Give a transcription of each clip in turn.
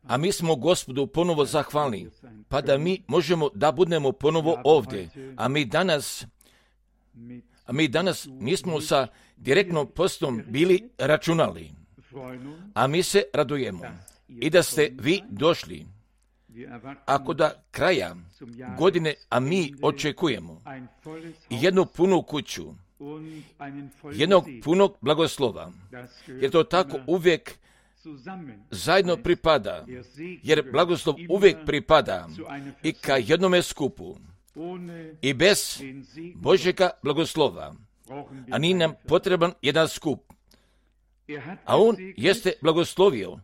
A mi smo Gospodu ponovo zahvalni, pa da mi možemo da budemo ponovo ovdje. A mi danas nismo sa direktnom postom bili računali. A mi se radujemo i da ste vi došli. Ako da kraja godine, a mi očekujemo jednu punu kuću, jednog punog blagoslova, jer to tako uvijek zajedno pripada, jer blagoslov uvijek pripada i ka jednome skupu. I bez Božjega blagoslova, a nije nam potreban jedan skup. A on jeste blagoslovio,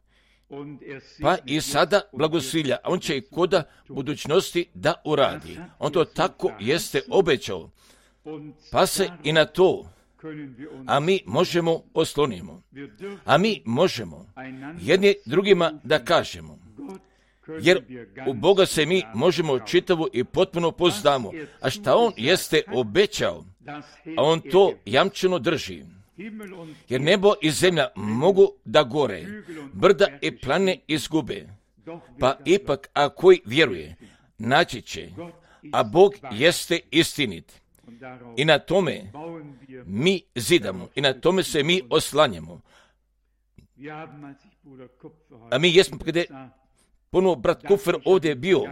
pa i sada blagosilja, a on će i koda budućnosti da uradi. On to tako jeste obećao, pa se i na to, a mi možemo oslonimo. A mi možemo jedni drugima da kažemo, jer u Boga se mi možemo čitavu i potpuno poznamo, a šta on jeste obećao, a on to jamčeno drži. Jer nebo i zemlja mogu da gore, brda i planine izgube, pa ipak a koji vjeruje, naći će, a Bog jeste istinit. I na tome mi zidamo, i na tome se mi oslanjamo. A mi jesmo, kada je ponovo brat Kufer ovdje bio,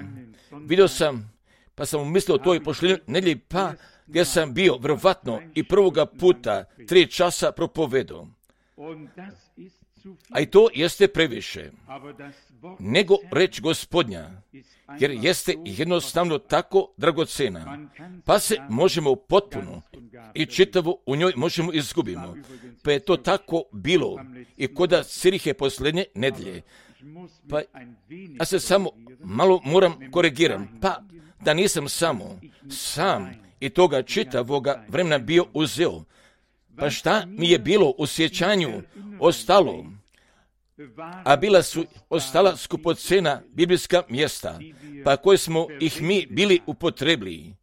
vidio sam, pa sam umislio to i pošli nedjelji, pa gdje sam bio, vjerovatno, i prvoga puta 3 časa propovedao. A i to jeste previše, nego reč Gospodnja, jer jeste jednostavno tako dragocena, pa se možemo potpuno i čitavo u njoj možemo izgubimo. Pa je to tako bilo i koda Cirihe posljednje nedjelje. Pa ja se samo malo moram korigiram, pa da nisam sam i toga čitavoga vremena bio uzeo. Pa šta mi je bilo u sjećanju ostalo? A bila su ostala skupocena biblijska mjesta, pa koje smo ih mi bili upotrebili.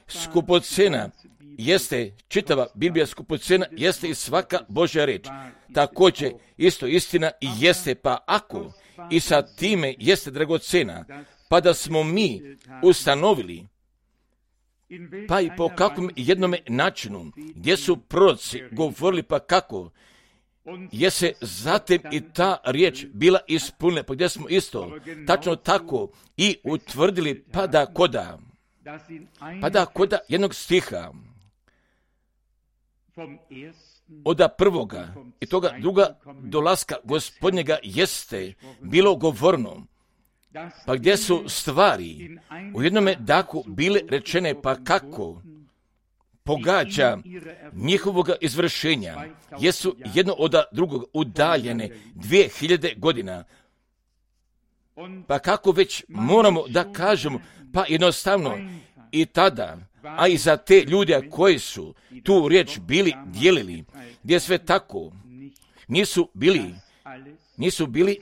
Skupocena jeste čitava Biblija, skupocena jeste i svaka Božja reč. Također isto istina i jeste, pa ako i sa time jeste dragocena, pa da smo mi ustanovili, pa i po kakvom jednome načinu, gdje su proroci govorili, pa kako je se zatim i ta riječ bila ispunila, pa gdje smo isto tačno tako i utvrdili, pa da koda jednog stiha od prvoga i toga druga dolaska Gospodnjega jeste bilo govorno, pa gdje su stvari u jednome dahu bile rečene, pa kako pogađa njihovoga izvršenja, jesu jedno od drugog udaljene 2000 godina. Pa kako već moramo da kažemo, pa jednostavno i tada, a i za te ljude koji su tu riječ bili dijelili, gdje sve tako nisu bili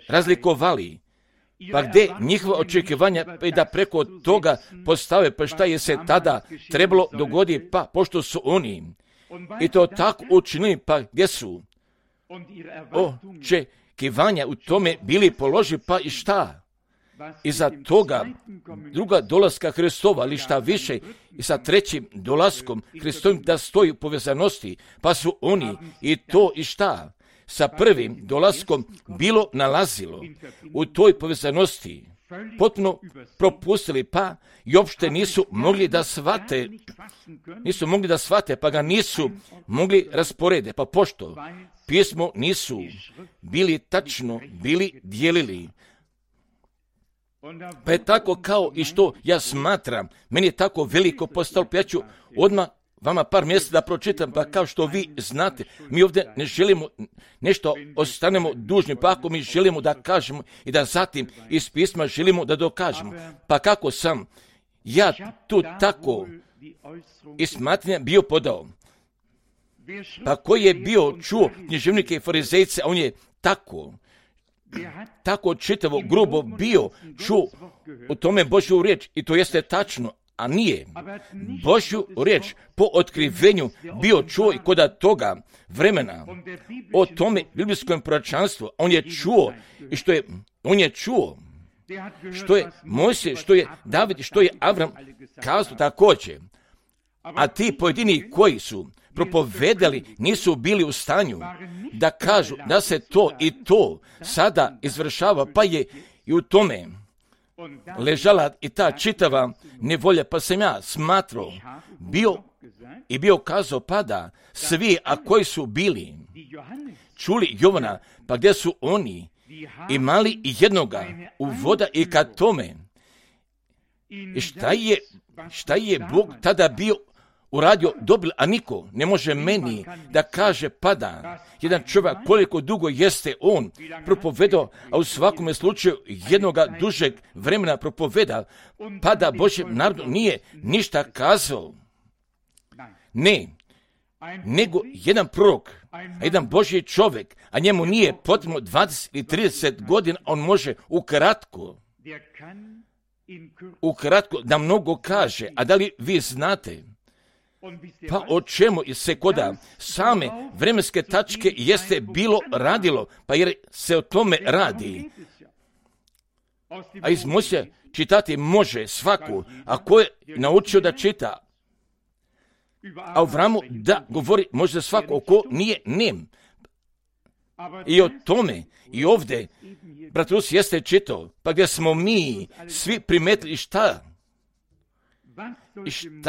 razlikovali, pa gdje njihova očekivanja pa i da preko toga postave, pa šta je se tada trebalo dogoditi, pa pošto su oni i to tako učinili, pa gdje su očekivanja u tome bili položi, pa i šta? I za toga druga dolaska Hristova, ali šta više, i sa trećim dolaskom Hristovim da stoji u povezanosti, pa su oni i to i šta? Sa prvim dolaskom bilo nalazilo u toj povezanosti, potpuno propustili, pa i uopšte nisu mogli da shvate, pa ga nisu mogli rasporede, pa pošto pismo nisu bili tačno, bili dijelili. Pa je tako kao i što ja smatram, meni je tako veliko postalo, pa ja ću odmah vama par mjesta da pročitam, pa kao što vi znate, mi ovdje ne želimo nešto ostanemo dužni, pa ako mi želimo da kažemo i da zatim iz pisma želimo da dokažemo, pa kako sam ja tu tako iz smatranja bio podao, pa koji je bio čuo književnike i farizejce, a on je tako čitavo grubo bio čuo u tome Božju riječ i to jeste tačno, a nije Božju riječ po otkrivenju bio čuo i kod toga vremena o tome biblijskom proročanstvu. On je čuo i on je čuo što je Mojsije, što je David, što je Avram kazao također. A ti pojedini koji su propovedali nisu bili u stanju da kažu da se to i to sada izvršava, pa je i u tome ležala i ta čitava nevolja, pa sam ja smatrao, bio kazao, pa da svi, a koji su bili čuli Jovana, pa gdje su oni imali jednoga u voda i ka tome. I šta je Bog tada bio uradio, dobil, a niko ne može meni da kaže, pada jedan čovjek koliko dugo jeste on propovedao, a u svakome slučaju jednoga dužeg vremena propoveda, pada Božjem narodu nije ništa kazao. Ne, nego jedan prorok, a jedan Božji čovjek, a njemu nije potrebno 20 ili 30 godina, on može ukratko da mnogo kaže. A da li vi znate pa o čemu se koda same vremenske tačke jeste bilo radilo, pa jer se o tome radi. A iz Mojsija čitati može svaku, a ko je naučio da čita. A Avramu da govori može svako, ko nije nem. I o tome i ovdje brat Rus jeste čitao, pa gdje smo mi svi primetili šta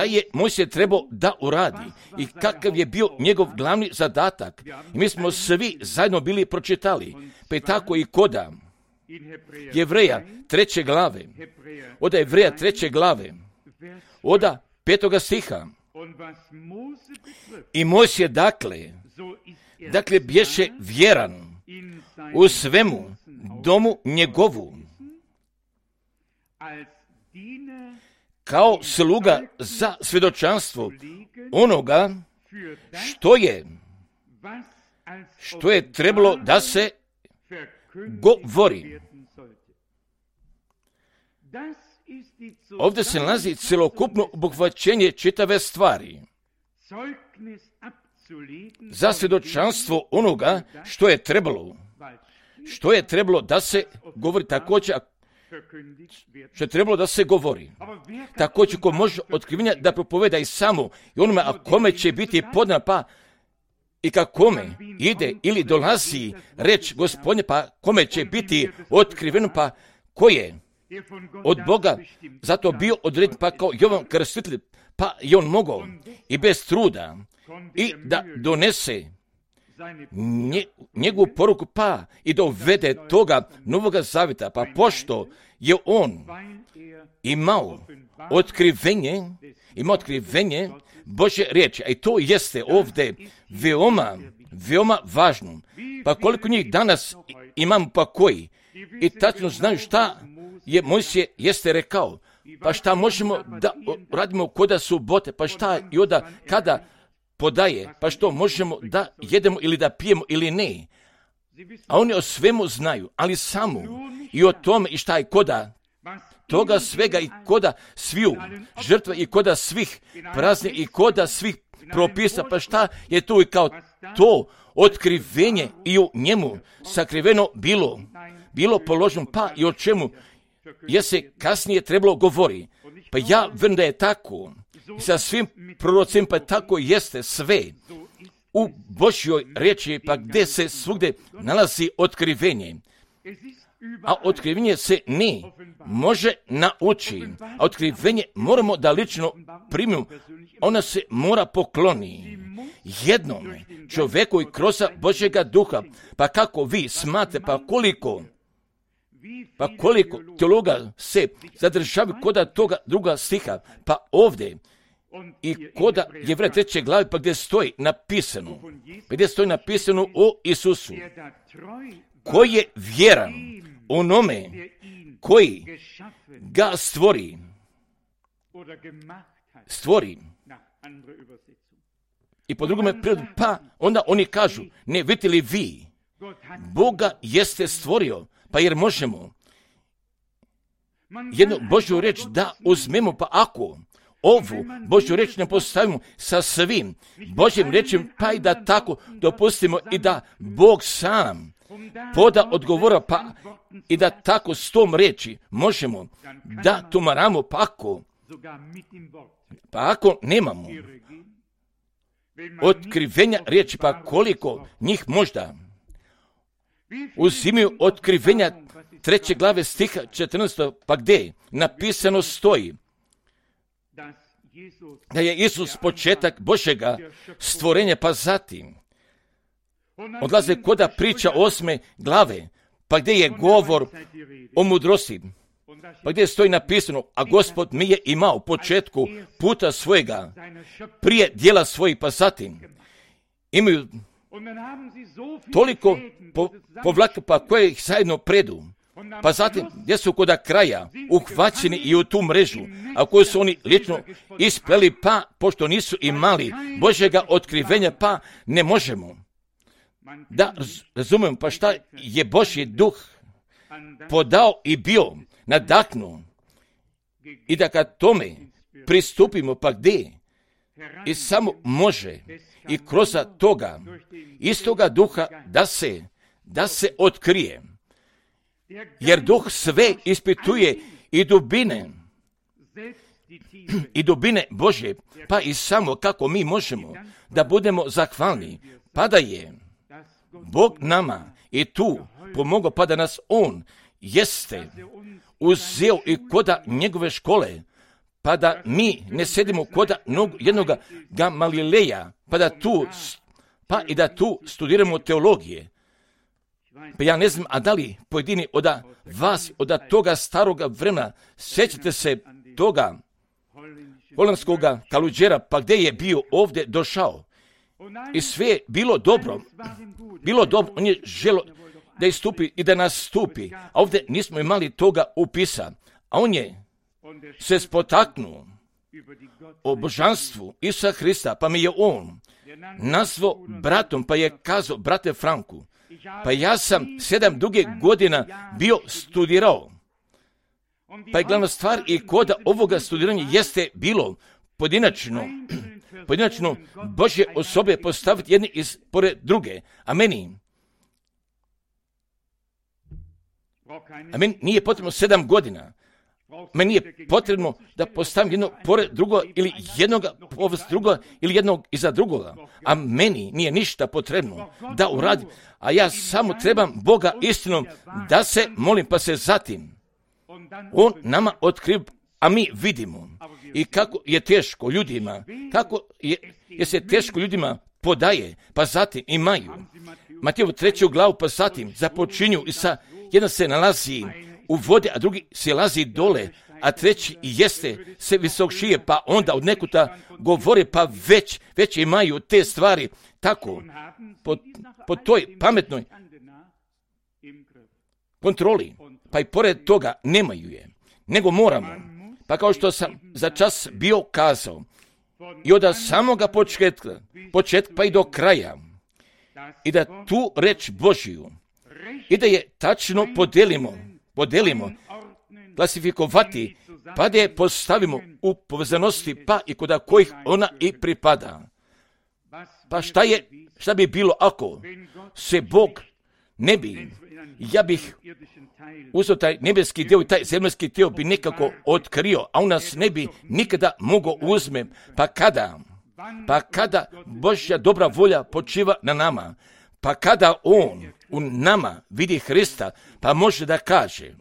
je Mojsije trebao da uradi i kakav je bio njegov glavni zadatak. I mi smo svi zajedno bili pročitali, pa je tako i koda Jevreja 3. glave, od Jevreja 3. glave, od 5. stiha. I Mojsije dakle bješe vjeran u svemu domu njegovu, kao sluga za svjedočanstvo onoga što je trebalo da se govori. Ovdje se nalazi celokupno obuhvaćenje čitave stvari. Za svjedočanstvo onoga što je trebalo da se govori, također što je trebalo da se govori. Također ko može otkrivenja da propoveda i samo i onome, a kome će biti podana, pa i ka kome ide ili dolazi reč Gospodnje, pa kome će biti otkriveno, pa ko je od Boga zato bio određen, pa kao Jovan Krstitelj, pa je on mogao i bez truda i da donese njegovu poruku, pa i da uvede toga Novoga Zavjeta, pa pošto je on imao otkrivenje Božje riječi, a i to jeste ovdje veoma važno. Pa koliko njih danas imamo, pa koji i tačno znaju šta je Mojsije jeste rekao, pa šta možemo da radimo koda subote, pa šta i onda kada podaje, pa što možemo da jedemo ili da pijemo ili ne. A oni o svemu znaju, ali samo i o tome i šta je koda toga svega i koda sviju žrtva i koda svih prazni i koda svih propisa, pa šta je tu i kao to otkrivenje i u njemu sakriveno bilo položeno, pa i o čemu je se kasnije trebalo govori. Pa ja vjerujem da je tako i sa svim prorocima, pa tako jeste sve u Božjoj riječi, pa gdje se svugdje nalazi otkrivenje. A otkrivenje se ne može naučiti, a otkrivenje moramo da lično primimo. Ona se mora pokloni jednom čovjeku i kroz Božjega duha. Pa kako vi smate, pa koliko teologa se zadržavaju koda toga druga stiha, pa ovdje i koda Jevreja 3. glave, pa gdje stoji napisano o Isusu, koji je vjeran onome koji ga stvori. I po drugome prirodu, pa onda oni kažu, ne vidite li vi, Boga jeste stvorio, pa jer možemo jednu Božju riječ da uzmemo, pa ako ovu Božju riječ ne postavimo sa svim Božjim riječima, pa i da tako dopustimo i da Bog sam poda odgovora, pa i da tako s tom riječi možemo da tumaramo, pa ako nemamo otkrivenja riječi, pa koliko njih možda uzimaju otkrivenja 3. glave stiha 14. pa gdje napisano stoji da je Isus početak Božjega stvorenja, pa zatim odlaze koda priča 8. glave, pa gdje je govor o mudrosti, pa gdje stoji napisano, a Gospod mi je imao u početku puta svojega, prije dijela svojih, pa zatim imaju toliko povlaka, pa koje ih zajedno predu, pa zatim gdje su koda kraja uhvaćeni i u tu mrežu, a koju su oni lično ispleli, pa pošto nisu imali Božjega otkrivenja, pa ne možemo da razumemo pa šta je Božji duh podao i bio nadahnuo i da kad tome pristupimo, pa gdje i samo može i kroz toga istoga duha da se otkrije, jer duh sve ispituje i dubine Božje, pa i samo kako mi možemo da budemo zahvalni, pa da je Bog nama i tu pomogao, pa da nas On jeste uzeo i koda njegove škole, pa da mi ne sedimo koda jednoga Gamalileja, pa i da tu studiramo teologije. Pa ja ne znam, a da li pojedini od vas, od toga staroga vremena, sjećate se toga holandskoga kaluđera, pa gdje je bio ovdje došao i sve je bilo dobro, on je želio da istupi i da nastupi, a ovdje nismo imali toga upisa, a on je se spotaknuo o božanstvu Isusa Hrista, pa mi je on nazvao bratom, pa je kazao, brate Franku, pa ja sam 7 duge godina bio studirao, pa je glavna stvar i koda ovoga studiranja jeste bilo pojedinačno Božje osobe postaviti jedni pored druge, a meni nije potrebno 7 godina, meni je potrebno da postavim jedno pored drugo ili jednoga povest drugoga ili jednog iza drugoga, a meni nije ništa potrebno da uradim, a ja samo trebam Boga istinom da se molim, pa se zatim On nama otkriva, a mi vidimo i kako je teško ljudima, je se teško ljudima podaje, pa zatim imaju Mateju 3. glavu, pa zatim započinju i jedan se nalazi u vode, a drugi se lazi dole, a treći jeste se visokšije, pa onda od nekuta govore, pa već imaju te stvari tako po toj pametnoj kontroli, pa i pored toga nemaju je, nego moramo, pa kao što sam za čas bio kazao, i od samoga početka pa i do kraja, i da tu reč Božju, i da je tačno podelimo, klasifikovati, pa da je postavimo u povezanosti, pa i kod kojih ona i pripada. Pa šta bi bilo ako se Bog ne bi, ja bih uzeo taj nebeski dio i taj zemaljski dio bi nekako otkrio, a on nas ne bi nikada mogao uzme, pa kada Božja dobra volja počiva na nama, pa kada On u nama vidi Hrista, pa može da kaže,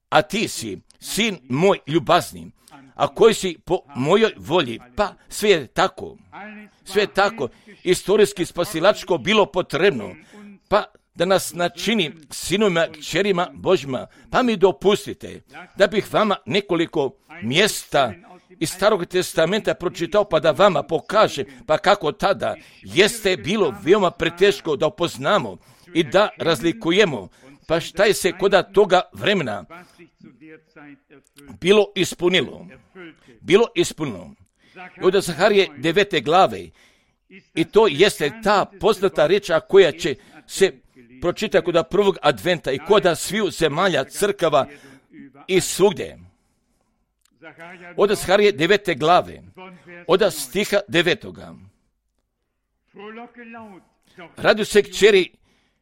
a ti si sin moj ljubazni, a koji si po mojoj volji, pa sve je tako, istorijski spasilačko bilo potrebno, pa da nas načini sinovima, kćerima Božjima, pa mi dopustite da bih vama nekoliko mjesta iz Starog testamenta pročitao, pa da vama pokaže, pa kako tada jeste bilo veoma preteško da upoznamo i da razlikujemo, pa šta je se koda toga vremena bilo ispunilo. I od Zaharije 9. glave, i to jeste ta poznata riječ koja će se pročita kod prvog adventa i kod sviju zemalja, crkava i svugdje. od Zaharije 9. glave, od stiha 9. Raduj se kćeri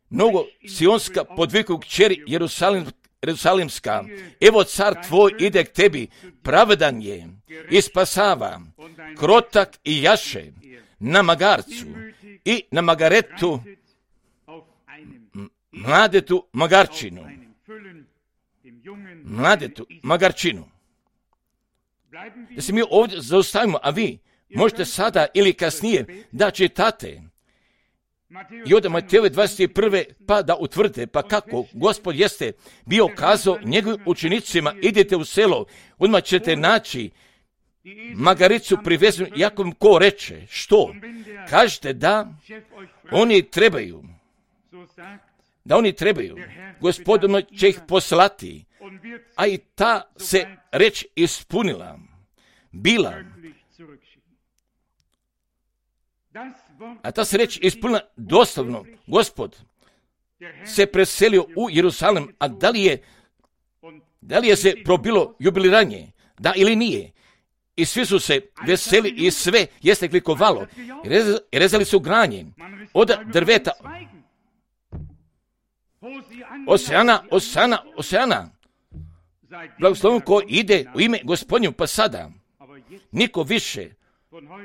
Nogo Sionska, podvikuj kćeri Jerusalimska, evo car tvoj ide k tebi, pravedan je i spasava, krotak i jaše na magarcu i na magaretu, mladetu magarčinu. Da se mi ovdje zaustavimo, a vi možete sada ili kasnije da čitate i od Matejove 21. pa da utvrdite pa kako Gospod jeste bio kazao njegovim učenicima, idete u selo, odmah ćete naći magaricu privezenu, jako vam ko reče, što? Kažete da oni trebaju, Gospod će ih poslati, a i ta se reč ispunila, bila. A ta se reč ispunila doslovno. Gospod se preselio u Jerusalim, a da li je se probilo jubiliranje? Da ili nije? I svi su se veseli i sve jeste klikovalo. Rezali su granje od drveta. Osana. Blagoslovno ko ide u ime Gospodnju, pa sada niko više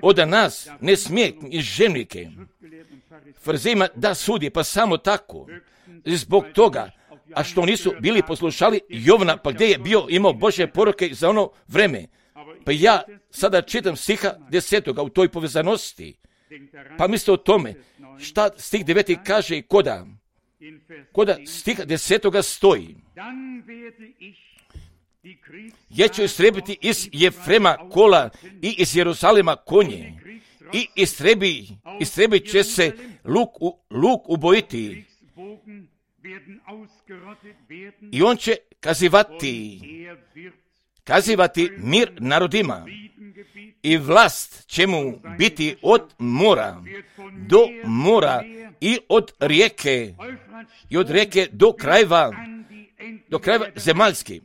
od nas ne smije iz žemljike farizejima da sudi, pa samo tako zbog toga, a što nisu bili poslušali Jovana, pa gdje je bio imao Božje poruke za ono vreme. Pa ja sada čitam stiha 10. u toj povezanosti, pa mislite o tome šta stih 9. kaže i koda stiha 10. stoji. Ja ću istrebiti iz Jefrema kola i iz Jeruzalema konje i istrebit će se luk ubojiti i on će kazivati mir narodima i vlast će mu biti od mora do mora i od rijeke do krajeva zemaljskih.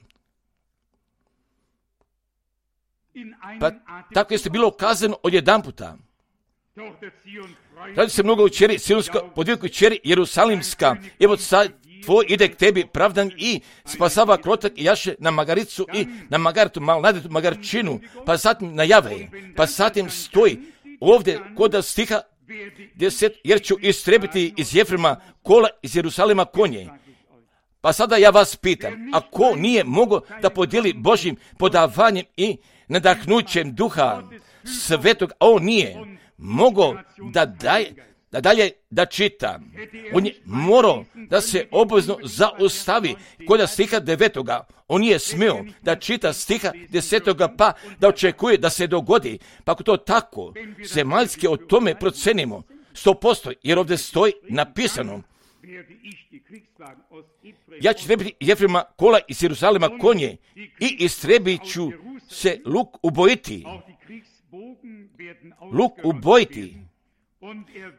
Pa tako jeste bilo kazano odjedan puta. Radi se mnogo u čeri Sionska, podviku čeri Jerusalimska, evo sad tvoj ide k tebi pravdan i spasava krotak i jaše na magaricu i na magartu, malnadetu magarčinu, pa zatim najave, pa zatim stoji ovdje kod stiha 10, jer ću istrebiti iz Jefrema kola, iz Jerusalima konje. Pa sada ja vas pitam, a ko nije mogao da podijeli Božjim podavanjem i nadahnućem Duha Svetog, a on nije mogao da dalje da čita. On je morao da se obvezno zaustavi kod stiha 9. On nije smio da čita stiha 10. pa da očekuje da se dogodi. Pa ako to tako zemaljski o tome procenimo 100%, jer ovdje stoji napisano, ja ću istrebiti Jefrema kola iz Jeruzalema konje i istrebit ću se luk ubojiti.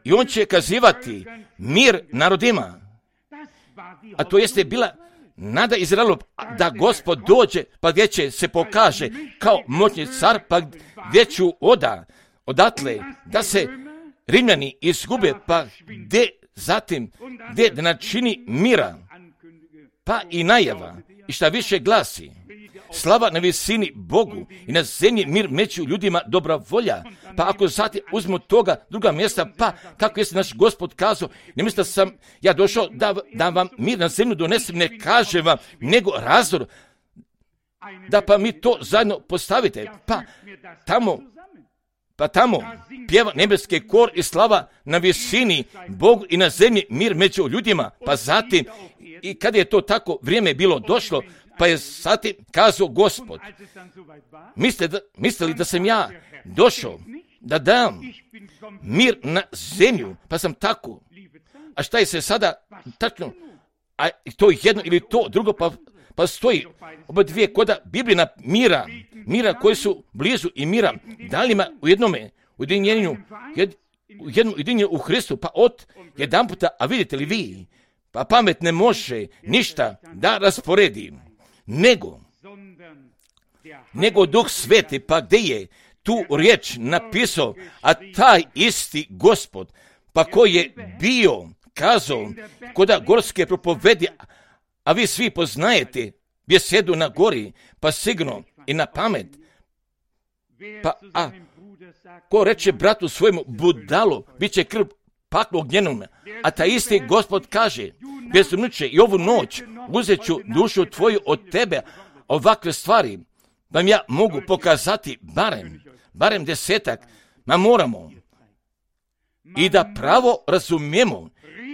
I on će kazivati mir narodima. A to jeste bila nada Izraelu da Gospod dođe, pa gdje će se pokaže kao moćni car, pa gdje ću odatle da se Rimljani izgube, pa gdje zatim gdje da načini mira, pa i najava, i šta više glasi, slava na visini Bogu i na zemlji mir među ljudima, dobra volja. Pa ako zatim uzmu toga druga mjesta, pa kako jeste naš Gospod kazao, ne mislite da sam ja došao da vam mir na zemlju donesem, ne kažem vam, nego razdor, da pa mi to zajedno postavite, pa tamo pjeva nebeski kor i slava na visini Bogu i na zemlji mir među ljudima, pa zatim i kad je to tako vrijeme bilo došlo, pa je zatim kazao Gospod, mislite li da sam ja došao da dam mir na zemlju, pa sam tako, a šta je se sada tačno, a to jedno ili to drugo, pa stoji oba dvije koda Biblijna mira koji su blizu i mira dalima u jednom ujedinjenju u Hristu, pa od jedan puta, a vidite li vi, pa pamet ne može ništa da rasporedi, nego nego Duh Sveti, pa gdje je tu riječ napisao, a taj isti Gospod, pa koji je bio, kazao, koda gorske propovedi, a vi svi poznajete bjesedu na gori, pa sigurno i na pamet, pa ko reče bratu svojemu budalo, bit će krv paklo ognjenom, a taj isti Gospod kaže, bezumniče, i ovu noć uzet ću dušu tvoju od tebe. Ovakve stvari vam ja mogu pokazati barem 10, ma moramo i da pravo razumijemo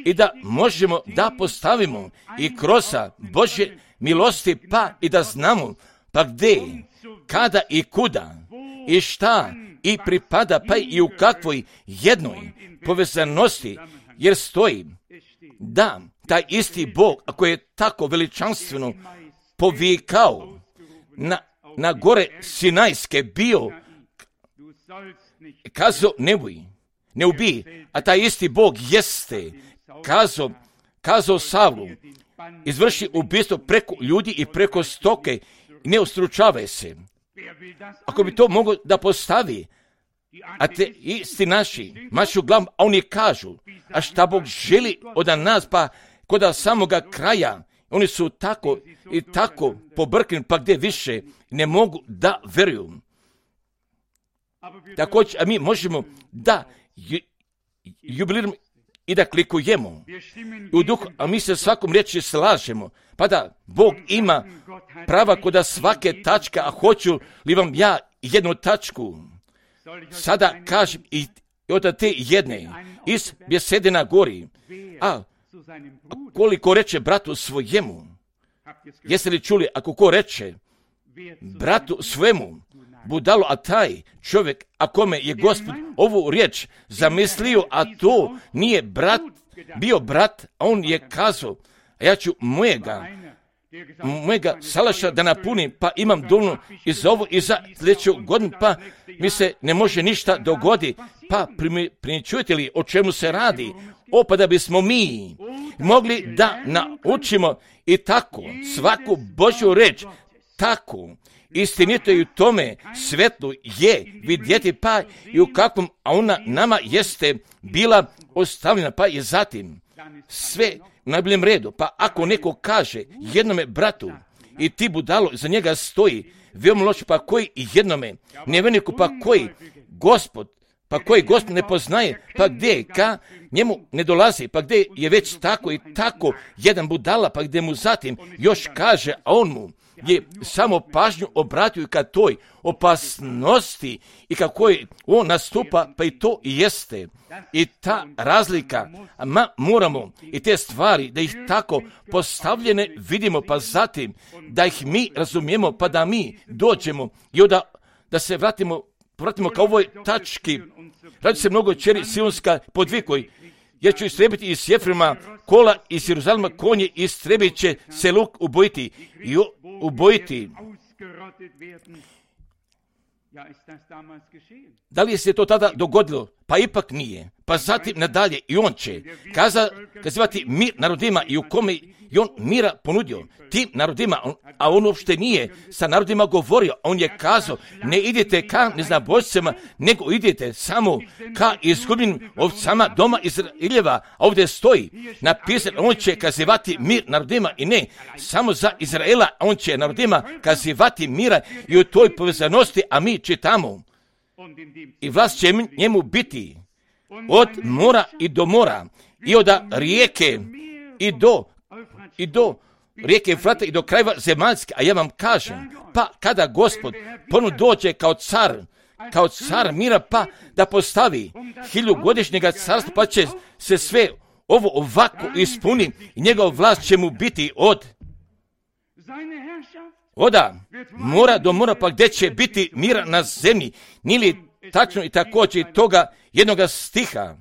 i da možemo da postavimo i kroz Božje milosti, pa i da znamo pa gdje, kada i kuda i šta i pripada, pa i u kakvoj jednoj povezanosti, jer stoji da taj isti Bog, ako je tako veličanstveno povikao na gore Sinajske bio, kazao ne ubij, a taj isti Bog jeste kazao Savlu, izvrši ubistvo preko ljudi i preko stoke, ne ustručavaj se. Ako bi to mogo da postavi, a te isti mašu glavu, a oni kažu, a šta Bog želi od nas, pa kod samoga kraja, oni su tako i tako pobrkani, pa gdje više ne mogu da veruju. Također, a mi možemo da jubiliramo i da klikujemo u duhu, a mi se svakom riječi slažemo, pa da Bog ima prava kod svake tačka, a hoću li vam ja jednu tačku sada kažem i od te jedne iz bjesede na gori, a koliko reče bratu svojemu, jeste li čuli, ako ko reče bratu svojemu budalo, a taj čovjek, a kome je Gospod ovu riječ zamislio, a to nije bio brat, a on je kazao, a ja ću mojega salaša da napunim, pa imam dovoljno i za ovo i za sljedeću godinu, pa mi se ne može ništa dogodi, pa primjećujete li o čemu se radi? Pa da bismo mi mogli da naučimo i tako svaku Božju reč, tako istinito i u tome svetlu je vidjeti, pa i u kakvom, a ona nama jeste bila ostavljena, pa i zatim sve u najboljem redu. Pa ako neko kaže jednome bratu i ti budalo za njega stoji, veoma loše, pa koji jednome nevjerniku, pa koji Gospod ne poznaje, pa gdje ka njemu ne dolazi, pa gdje je već tako i tako jedan budala, pa gdje mu zatim još kaže, a on mu je samo pažnju obratio i ka toj opasnosti i kako je on nastupa, pa i to i jeste. I ta razlika, moramo i te stvari da ih tako postavljene vidimo, pa zatim da ih mi razumijemo, pa da mi dođemo i da se vratimo ka ovoj tački. Radi se mnogo čeri Sionska podvikoj, jer ću istrebiti iz Jefrema kola, iz Jeruzalema konje, istrebit će se luk ubojiti. Da li se to tada dogodilo? Pa ipak nije. Pa zatim nadalje i on će kazivati mir narodima i u kome i on mira ponudio tim narodima, a on uopšte nije sa narodima govorio. On je kazao, ne idete ka neznabošcima, nego idete samo ka izgubljenim ovcama doma Izraeljeva. A ovdje stoji napisano, on će kazivati mir narodima i ne samo za Izraela, on će narodima kazivati mira i u toj povezanosti, a mi čitamo i vlast će njemu biti od mora i do mora i od rijeke i do rijeke Efrata i do krajeva zemaljske. A ja vam kažem, pa kada Gospod ponovno dođe kao car mira, pa da postavi 1000-godišnjega carstva, pa će se sve ovo ovako ispuni i njegov vlast će mu biti od mora do mora, pa gdje će biti mira na zemlji. Nije li tačno i također toga jednoga stiha?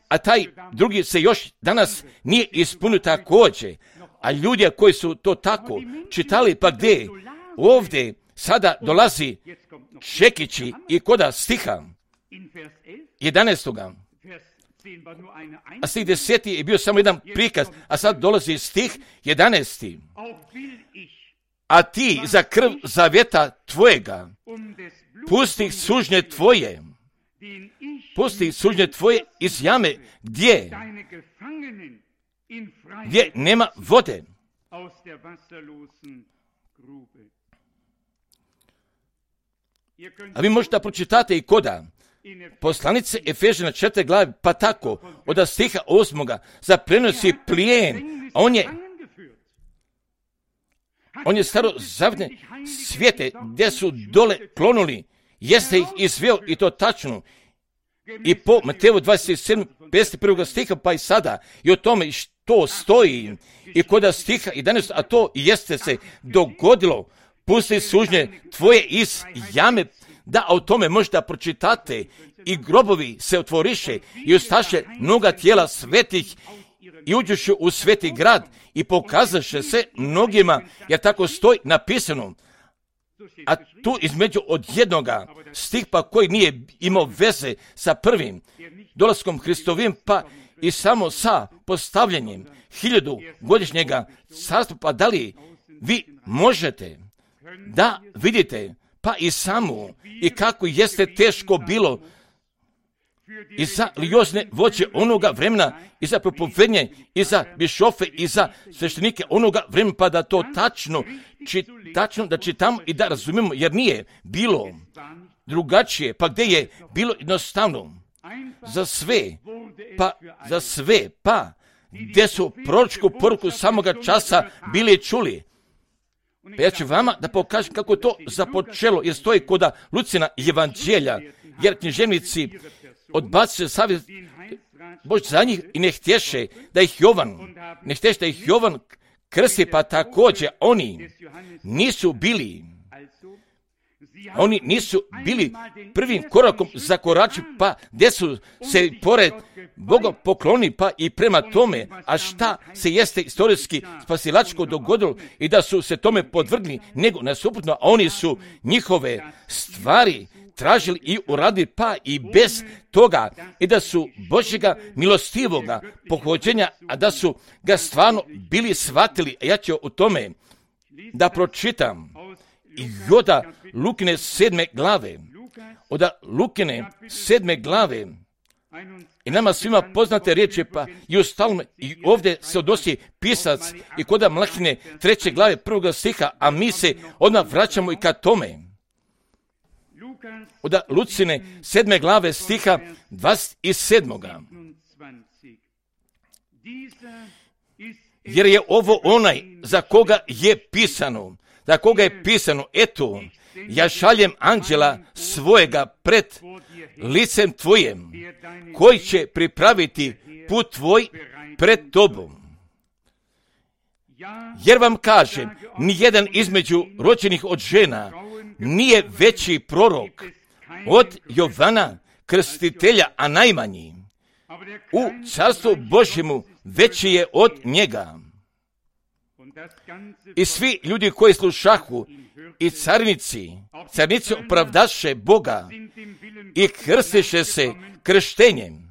A taj drugi se još danas nije ispunio također. A ljudi koji su to tako čitali, pa gdje? Ovdje sada dolazi čekići i koda stiha 11. A stih 10. je bio samo jedan prikaz, a sad dolazi stih 11. a ti za krv zavjeta tvojega, pusti sužnje tvoje iz jame, gdje nema vode. A vi možete pročitati i koda poslanice Efežana 4. glave, pa tako, od stiha 8. zaprenosi plijen, a on je starozavjetne svijete gdje su dole klonuli, jeste ih izveo i to tačno. I po Mateju 27. 51. stiha, pa i sada, i o tome što stoji, i koda stiha 11. a to jeste se dogodilo, pusti sužnje tvoje iz jame, da o tome možete pročitati, i grobovi se otvoriše i ustaše mnoga tijela svetih i uđuše u sveti grad i pokazaše se mnogima, jer tako stoji napisano. A tu između od jednoga stihpa koji nije imao veze sa prvim dolaskom Hristovim, pa i samo sa postavljanjem 1000-godišnjega carstva, pa da li vi možete da vidite pa i samo i kako jeste teško bilo i za religiozne vođe onoga vremena, i za propovednje, i za bišofe, i za sveštenike onoga vremena, pa da to tačno da čitamo i da razumijemo, jer nije bilo drugačije, pa gdje je bilo jednostavno za sve, pa gdje su proročku poruku samoga časa bili čuli. Pa ja ću vama da pokažem kako to započelo, jer stoji koda Lucina evanđelja, jer književnici odbaciše savjet Bož za njih i ne htješe da ih Jovan krsti, pa također oni nisu bili prvim korakom zakorači, pa gdje su se pored Boga pokloni, pa i prema tome, a šta se jeste istorijski spasilačko dogodilo i da su se tome podvrgli, nego nasuprotno, a oni su njihove stvari tražili i uradili, pa i bez toga, i da su Božjega milostivoga pohođenja, a da su ga stvarno bili shvatili. A ja ću u tome da pročitam i od Lukine 7. glave, i nama svima poznate riječi, pa i ustalno, i ovdje se odnosi pisac i kod Malahine 3. glave 1. stiha, a mi se odmah vraćamo i ka tome. Od Lucine 7. glave stiha 27. Jer je ovo onaj za koga je pisano, eto, ja šaljem anđela svojega pred licem tvojim, koji će pripraviti put tvoj pred tobom. Jer vam kažem, nijedan između rođenih od žena nije veći prorok od Jovana Krstitelja, a najmanji u carstvu Božjemu veći je od njega. I svi ljudi koji slušahu i carnici opravdaše Boga i krstiše se krštenjem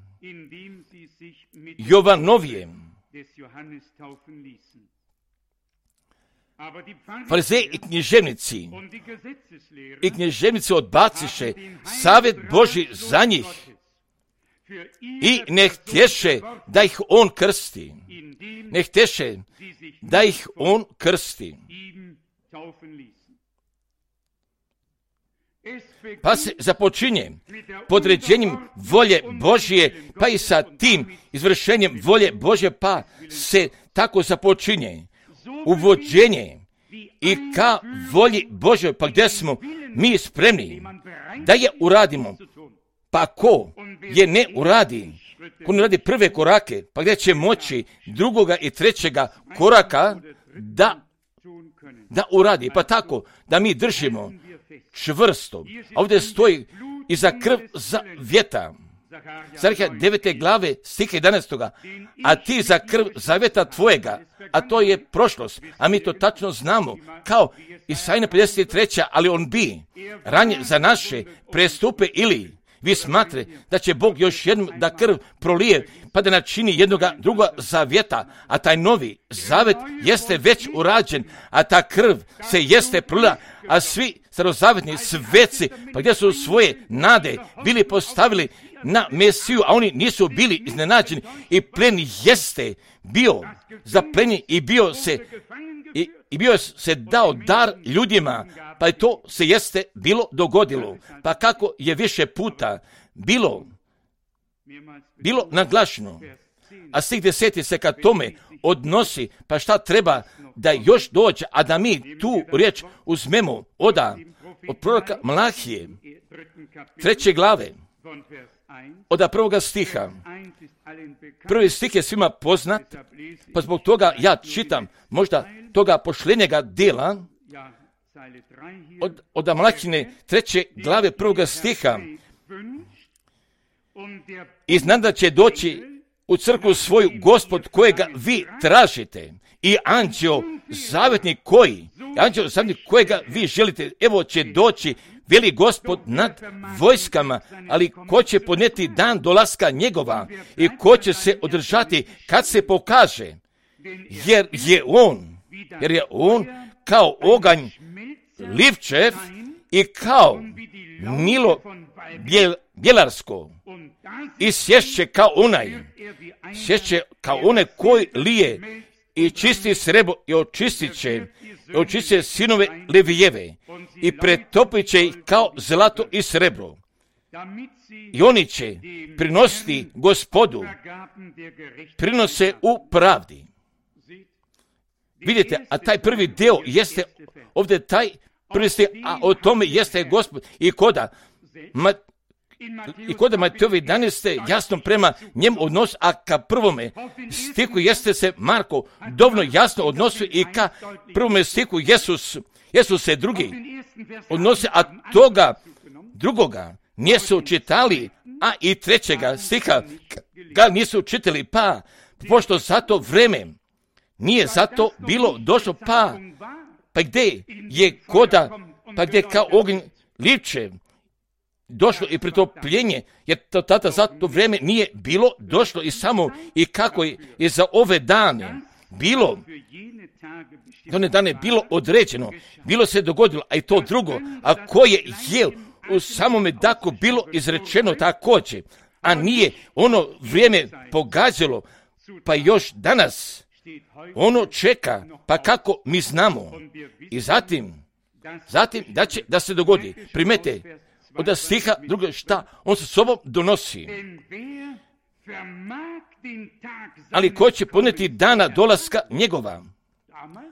Jovanovijem. Farizeji i književnici odbaciše savjet Božji za njih i ne htješe da ih on krsti. Pa se započinje podređenjem volje Božje, pa i sa tim izvršenjem volje Božje, pa se tako započinje uvođenje i ka volji Božoj, pa gdje smo mi spremni da je uradimo, pa ko je ne uradi, ko ne radi prve korake, pa gdje će moći drugoga i trećega koraka da uradi, pa tako da mi držimo čvrsto. A ovdje stoji i za krv zavjeta. Zarhija 9. glave stiha 11. A ti za krv zavjeta tvojega, a to je prošlost, a mi to tačno znamo, kao Isajna 53. ali on bi ranje za naše prestupe ili vi smatrate da će Bog još jednom da krv prolije, pa da načini jednoga druga zavjeta, a taj novi zavet jeste već urađen, a ta krv se jeste prolila, a svi starozavetni sveci, pa gdje su svoje nade bili postavili na Mesiju, a oni nisu bili iznenađeni i plen jeste bio zaplenjen i bio se dao dar ljudima, pa je to se jeste bilo dogodilo. Pa kako je više puta bilo naglašeno, a stih 10 se ka tome odnosi, pa šta treba da još dođe, a da mi tu riječ uzmemo od proroka Malahije, 3. glave, od 1. stiha. Prvi stih je svima poznat, pa zbog toga ja čitam možda toga pošljenjega dela od Malahine 3. glave 1. stiha. I znam da će doći u crkvu svoju Gospod kojega vi tražite i anđeo zavjetnik kojega vi želite, evo će doći veli Gospod nad vojskama, ali ko će podnijeti dan dolaska njegova i ko će se održati kad se pokaže, jer je on kao oganj livčev i kao milo bjelarsko i sješće kao onaj koji lije i čisti srebro i očistit će sinove Levijeve i pretopit će ih kao zlato i srebro. I oni će prinositi Gospodu, prinose u pravdi. Vidite, a taj prvi deo jeste ovdje taj prvi stih, a o tome jeste Gospod i kod Mateovi 11. jasno prema njemu odnos, a ka prvome stiku jeste se Marko dovoljno jasno odnosi i ka prvome stiku Jesu se drugi odnose, a toga drugoga nisu čitali, a i 3. stiha ga nisu čitali, pa pošto za to vreme nije zato bilo došlo, pa gdje je pa gdje kao ognj livčev došlo i pretopljenje, jer to tada za to vrijeme nije bilo došlo i samo i kako je za ove dane bilo, one dane bilo određeno, bilo se dogodilo, a i to drugo, a koje je u samome daku bilo izrečeno također, a nije ono vrijeme pogađalo, pa još danas ono čeka, pa kako mi znamo. I zatim da se dogodi, primete, od stiha drugo šta on sa sobom donosi. Ali ko će podnijeti dana dolaska njegova?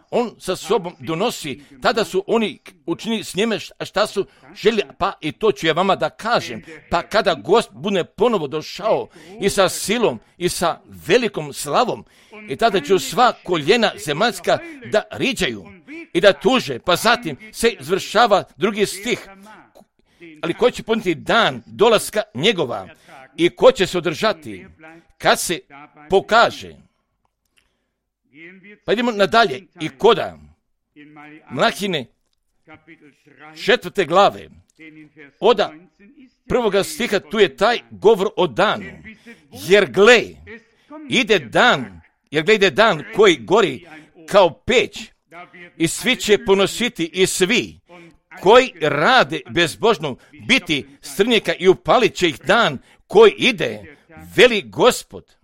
On sa sobom donosi, tada su oni učinili s njime šta su želi, pa i to ću ja vama da kažem, pa kada Gost bude ponovo došao i sa silom i sa velikom slavom, i tada će sva koljena zemaljska da riđaju i da tuže, pa zatim se izvršava drugi stih. Ali ko će podnijeti dan dolaska njegova i ko će se održati kad se pokaže? Pa idemo nadalje i koda Malahine 4. glave od 1. stiha, tu je taj govor o danu, jer gle ide dan koji gori kao peć i svi će ponositi i svi koji rade bezbožno biti strnjaka i upalit će ih dan koji ide, veli Gospod.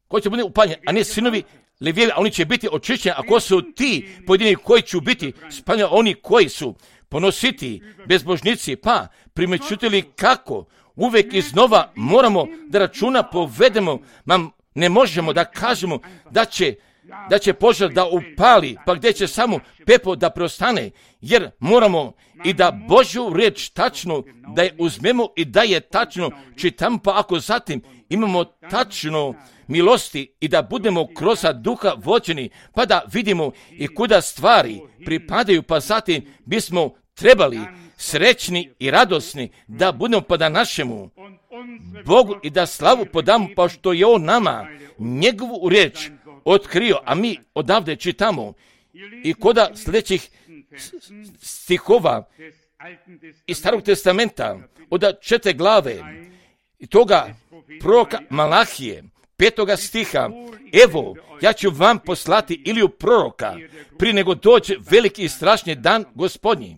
Ko će biti upaljen, a ne sinovi Levijevi, a oni će biti očišćeni, a ko su ti pojedini koji će biti spaljeni, oni koji su ponositi bezbožnici, pa primećutili kako uvijek iznova moramo da računa povedemo, ne možemo da kažemo da će požar da upali, pa gdje će samo pepo da preostane, jer moramo i da Božju riječ tačno da je uzmemo i da je tačno čitamo, pa ako zatim imamo tačno milosti i da budemo kroz duha vođeni, pa da vidimo i kuda stvari pripadaju, pa zatim bismo trebali srećni i radosni da budemo pa da našemu Bogu i da slavu podamo, pa što je on nama njegovu riječ otkrio, a mi odavde čitamo i koda sljedećih stihova iz Starog testamenta, od 4 glave toga proroka Malahije, 5. stiha, evo, ja ću vam poslati Iliju proroka, prije nego dođe veliki i strašni dan Gospodnji.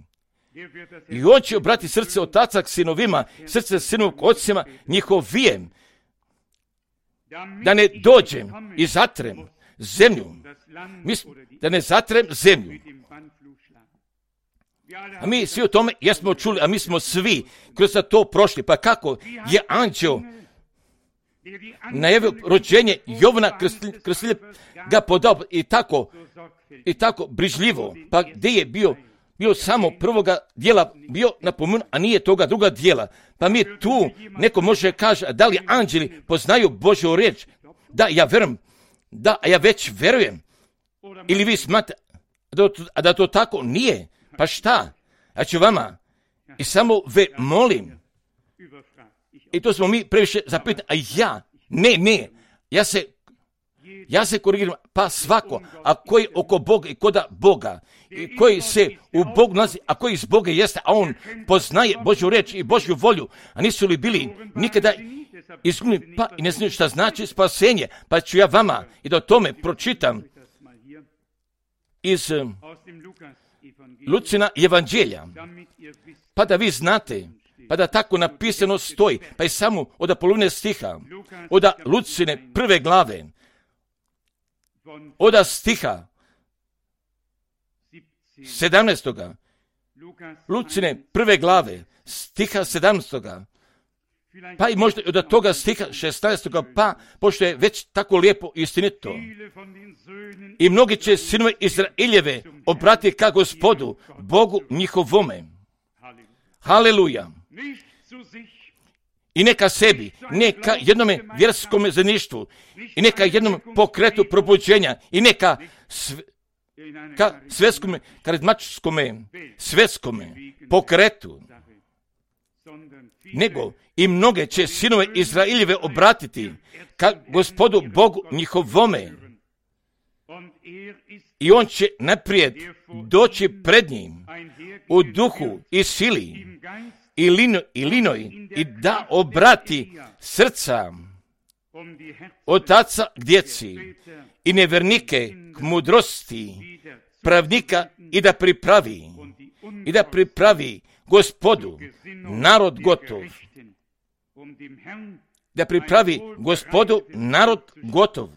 I on će obrati srce otaca k sinovima, srce sinova k ocima njihovijem, da ne dođem i zatrem zemlju, da ne zatrem zemlju. A mi svi o tome jesmo čuli, a mi smo svi kroz to prošli. Pa kako je anđeo najavio rođenje Jovana Krstitelja ga podao i tako brižljivo. Pa gdje je bio samo prvoga dijela bio napomenut, a nije toga druga dijela. Pa mi tu neko može kaže, da li anđeli poznaju Božju riječ? Da, ja verujem. Da, ja već verujem. Ili vi smatrate da to tako nije? Pa šta? Ja ću vama i samo molim. I to smo mi previše zapitani. A ne. Ja se korigiram. Pa svako, a koji oko Boga i koda Boga, i koji se u Bogu nalazi, a koji iz Boga jeste, a on poznaje Božju riječ i Božju volju, a nisu li bili nikada izgubljeni, pa i ne znaju šta znači spasenje. Pa ću ja vama i da o tome pročitam iz Lucina evanđelja, pa da vi znate, pa da tako napisano stoji, pa i samo od polovine stiha, od Lucine 1. glave, od stiha 17. Lucine 1. glave, stiha 17. Pa i možda od toga stiha 16. pa, pošto je već tako lijepo i istinito. I mnogi će sinove Izraeljeve obratiti ka Gospodu, Bogu njihovome. Haleluja. I neka sebi, neka jednome vjerskome zajedništvu, i neka jednom pokretu probuđenja, i neka svetskome, karizmatičkome, svetskome pokretu, nego i mnoge će sinove Izraeljeve obratiti ka Gospodu Bogu njihovome. I on će naprijed doći pred njim u duhu i sili i linoj i da obrati srca otaca k djeci i nevernike k mudrosti pravnika i da pripravi Gospodu narod gotov. Da pripravi Gospodu narod gotov.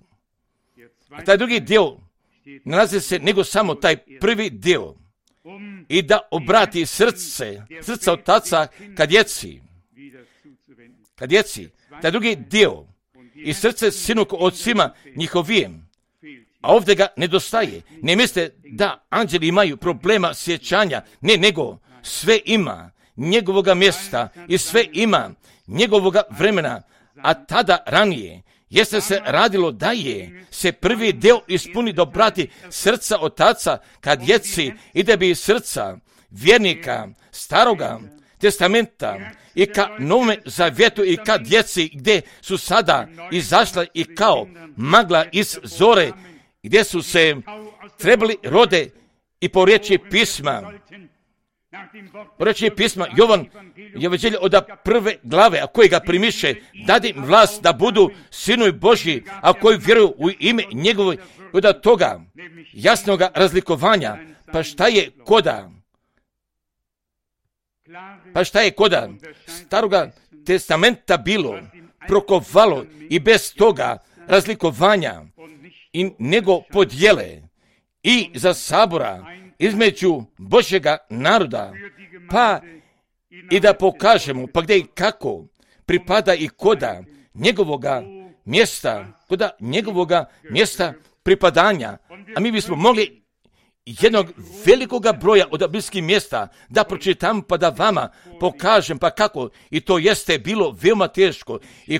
A taj drugi dio nalazi se nego samo taj prvi dio. I da obrati srca otaca ka djeci. Taj drugi dio. I srce sinu k ocima njihovijem. A ovdje ga nedostaje. Ne mislite da anđeli imaju problema sjećanja. Ne, nego sve ima njegovoga mjesta i sve ima njegovoga vremena. A tada ranije jeste se radilo da je se prvi dio ispuni da obrati srca otaca ka djeci i da bi srca vjernika staroga testamenta i ka Novome zavjetu i ka djeci gdje su sada izašla i kao magla iz zore, gdje su se trebali rode i po riječi pisma. Po riječi pisma Jovan evanđelje od 1. glave, a koji ga primiše, dade im vlast da budu sinovi Božji, a koji vjeruju u ime njegovo, od toga jasnog razlikovanja. Pa šta je koda staroga testamenta bilo, prokovalo i bez toga razlikovanja i nego podjele i za sabora između Božjega naroda, pa i da pokažemo pa gdje i kako pripada i koda njegovoga mjesta pripadanja. A mi bismo mogli jednog velikoga broja od bliskih mjesta da pročitam pa da vama pokažem pa kako i to jeste bilo veoma teško i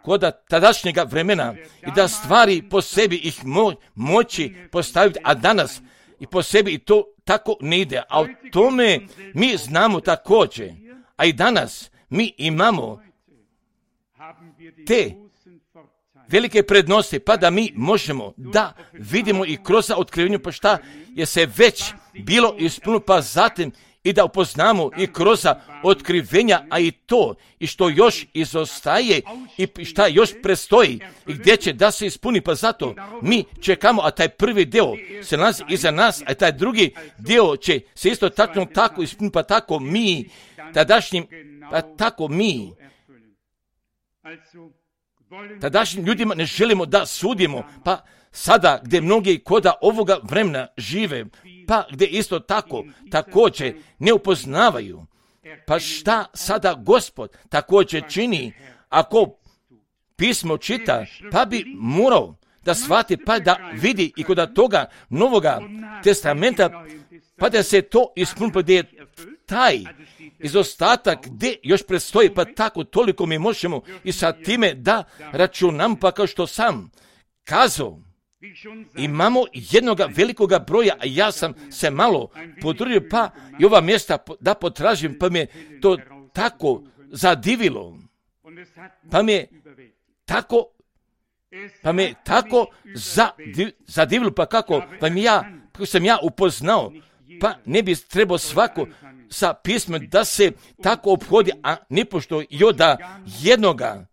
koda tadašnjega vremena i da stvari po sebi ih moći postaviti, a danas i po sebi i to tako ne ide. A o tome mi znamo također, a i danas mi imamo te velike prednosti, pa da mi možemo da vidimo i kroz otkrivenju pa šta je se već bilo ispunilo, pa zatim i da upoznamo i kroz otkrivenja, a i to, i što još izostaje i šta još prestoji i gdje će da se ispuni, pa zato mi čekamo, a taj prvi dio se nalazi iza nas, a taj drugi dio će se isto tako ispuniti, pa tako mi, tadašnjim ljudima ne želimo da sudimo, pa sada gdje mnogi koda ovoga vremena žive, pa gdje isto također ne upoznavaju, pa šta sada Gospod također čini, ako pismo čita, pa bi morao da shvati, pa da vidi i kod toga Novoga testamenta, pa da se to ispuni, pa gdje je taj izostatak gdje još predstoji, pa tako toliko mi možemo i sa time da računam, pa kao što sam kazao, imamo jednoga velikoga broja, a ja sam se malo potrudio, pa i ova mjesta da potražim, pa me to tako zadivilo, pa me tako zadivilo, pa kako sam ja upoznao, pa ne bi trebao svako sa pismom da se tako obhodi, a nipošto da jednoga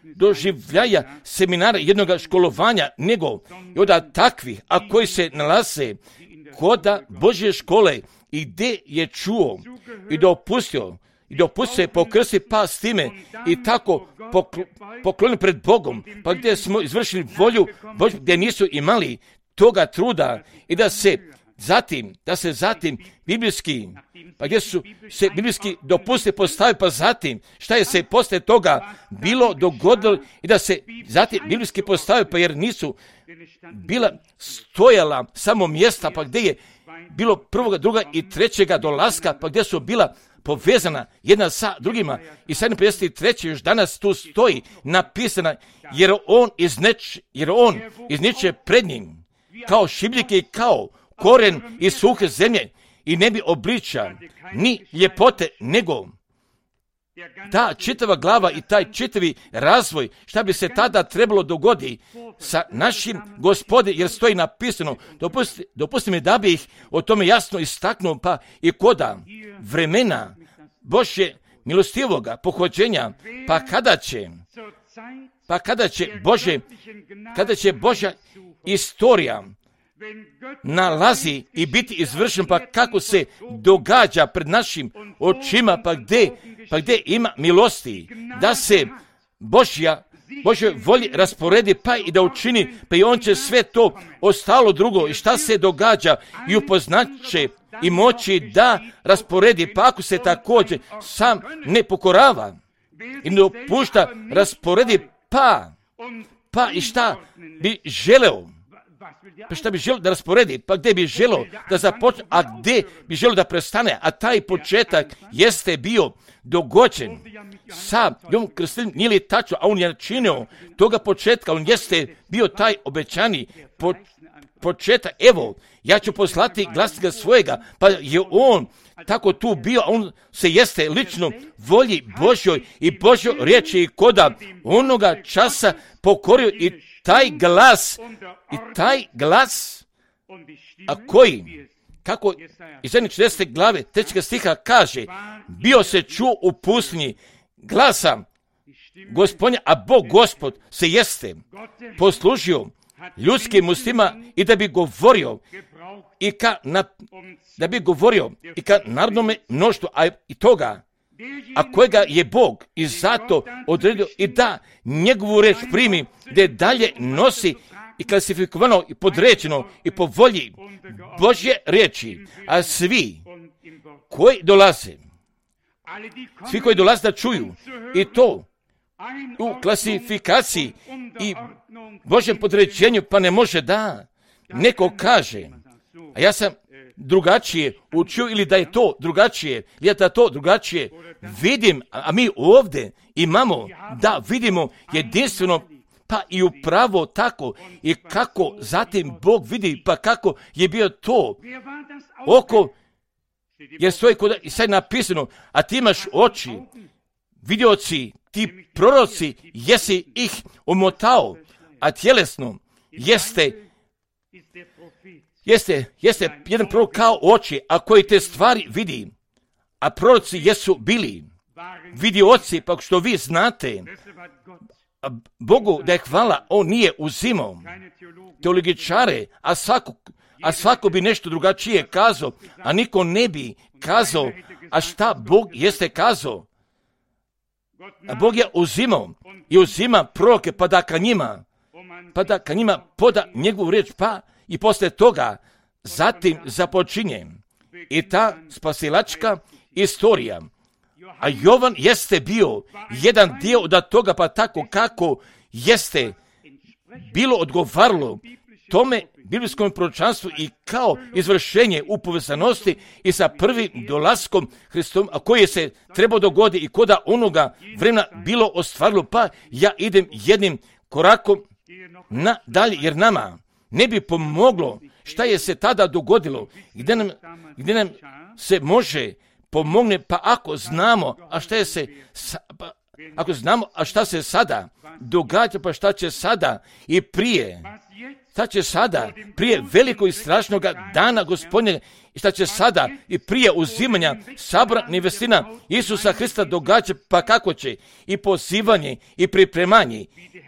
doživljaja seminara, jednoga školovanja, nego i od takvih, a koji se nalaze koda Božje škole i gdje je čuo i dopustio se pokrsti, pa s time i tako poklonili pred Bogom, pa gdje smo izvršili volju Božju, gdje nisu imali toga truda i da se zatim biblijski, pa gdje su se biblijski dopuste postavi, pa zatim šta je se poslije toga bilo dogodilo i da se zatim biblijski postavi, pa jer nisu bila stojala samo mjesta, pa gdje je bilo prvoga, druga i trećega dolaska, pa gdje su bila povezana jedna sa drugima i 753. još danas tu stoji napisana, jer on izniče pred njim kao šibljike i kao koren iz suhe zemlje i ne bi obliča ni ljepote, nego ta čitava glava i taj čitavi razvoj, šta bi se tada trebalo dogoditi sa našim Gospode, jer stoji napisano, dopusti mi da bi ih o tome jasno istaknuo, pa i koda vremena Božje milostivoga pohođenja, pa kada će Božja istorija nalazi i biti izvršen, pa kako se događa pred našim očima, pa gdje ima milosti, da se Božjoj volji rasporedi, pa i da učini, pa i on će sve to ostalo drugo i šta se događa i upoznaće i moći da rasporedi, pa ako se također sam ne pokorava i ne dopušta rasporedi, pa i šta bi želeo, da rasporedi, pa gdje bi želeo da započne, a gdje bi želeo da prestane, a taj početak jeste bio dogođen sa Jovom Krstiteljem, nije li tačno, a on je činio toga početka, on jeste bio taj obećani početak, evo, ja ću poslati glasnika svojega, pa je on tako tu bio, a on se jeste lično volji Božjoj i Božjoj riječi i koda onoga časa pokorio i taj glas, a koji, kako iz 40. glave 3. stiha kaže, bio se čuo u pustinji glasa Gospodnja, a Bog Gospod se jeste poslužio ljudskim ustima i da bi govorio i ka narodnome mnoštvu, a i toga, a kojega je Bog i zato odredio i da njegovu reč primi, da dalje nosi i klasifikovano i podređeno i po volji Božje riječi, a svi koji dolaze da čuju i to u klasifikaciji i Božjem podređenju, pa ne može da neko kaže, a ja sam drugačije učio ili da je to drugačije, ili da to drugačije vidim, a mi ovdje imamo da vidimo jedinstveno, pa i upravo tako i kako zatim Bog vidi, pa kako je bio to oko, jer stoji kod i sad napisano, a ti imaš oči, vidioci, ti proroci, jesi ih omotao, a tjelesno Jeste jedan prorok kao oči, a koji te stvari vidi, a proroci jesu bili vidioci, pa što vi znate, Bogu da je hvala, on nije uzimao teologičare, a svako bi nešto drugačije kazao, a niko ne bi kazao, a šta Bog jeste kazao. A Bog je uzimao i uzima proroke, pa da ka njima poda njegovu riječ, pa i posle toga zatim započinje i ta spasilačka istorija. A Jovan jeste bio jedan dio od toga, pa tako kako jeste bilo odgovaralo tome biblijskom proročanstvu i kao izvršenje u povezanosti i sa prvim dolaskom Hristom, a koji se trebao dogodi i koda onoga vremena bilo ostvarilo, pa ja idem jednim korakom nadalje, jer nama ne bi pomoglo šta je se tada dogodilo, gdje nam se može pomogne, pa ako znamo, a šta se sada događa, pa šta će sada i prije, šta će sada prije velikog i strašnog dana Gospodnjega i šta će sada i prije uzimanja sabora nevestina Isusa Hrista događa, pa kako će i pozivanje i pripremanje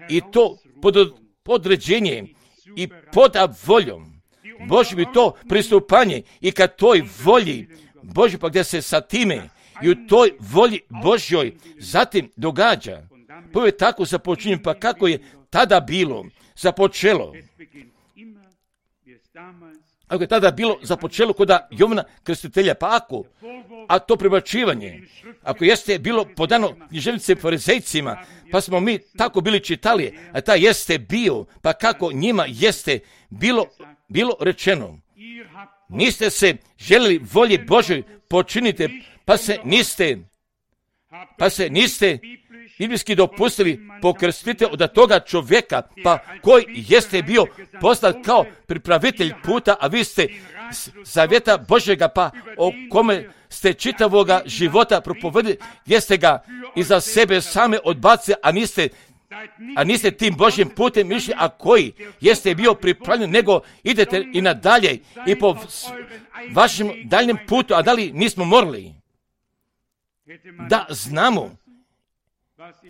i to podređenje i pod voljom Božjom i to pristupanje i ka toj volji Božjoj, pa gdje se sa time i u toj volji Božjoj zatim događa. Prvo je tako započinje, pa kako je tada bilo započelo. Ako je tada bilo započelo kod Jovana Krstitelja, pa ako, a to prebačivanje, ako jeste bilo podano književnicima farizejcima, pa smo mi tako bili čitali, a ta jeste bio, pa kako njima jeste bilo rečeno. Niste se željeli volje Božoj počinite, pa se niste biblijski dopustili pokrstiti od toga čovjeka, pa koji jeste bio poslat kao pripravitelj puta, a vi ste zavjeta Božjega, pa o kome ste čitavoga života propovedili, gdje ste ga iza sebe same odbacili, a niste tim Božjim putem išli, a koji jeste bio pripravljen, nego idete i nadalje i po vašem daljnjem putu, a da li nismo morali da znamo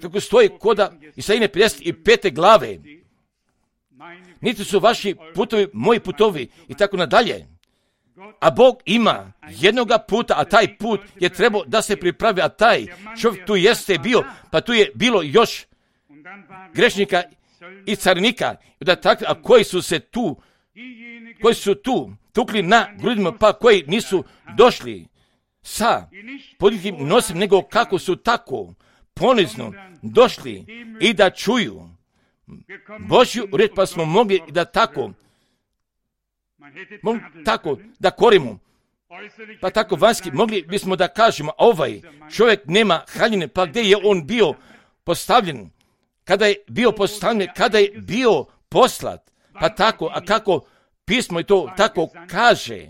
kako stoji koda Isaije 55. glave, niti su vaši putovi moji putovi i tako nadalje. A Bog ima jednoga puta, a taj put je trebao da se pripravi, a taj čovjek tu jeste bio, pa tu je bilo još grešnika i carinika, a koji su tu tukli na grudima, pa koji nisu došli sa poditim nosim, nego kako su tako ponizno došli i da čuju Božju riječ, pa smo mogli da tako da korimo, pa tako vanjski mogli bismo da kažemo, ovaj čovjek nema haljine, pa gdje je on bio postavljen, kada je bio postavljen, kada je bio poslat, pa tako, a kako pismo i to tako kaže,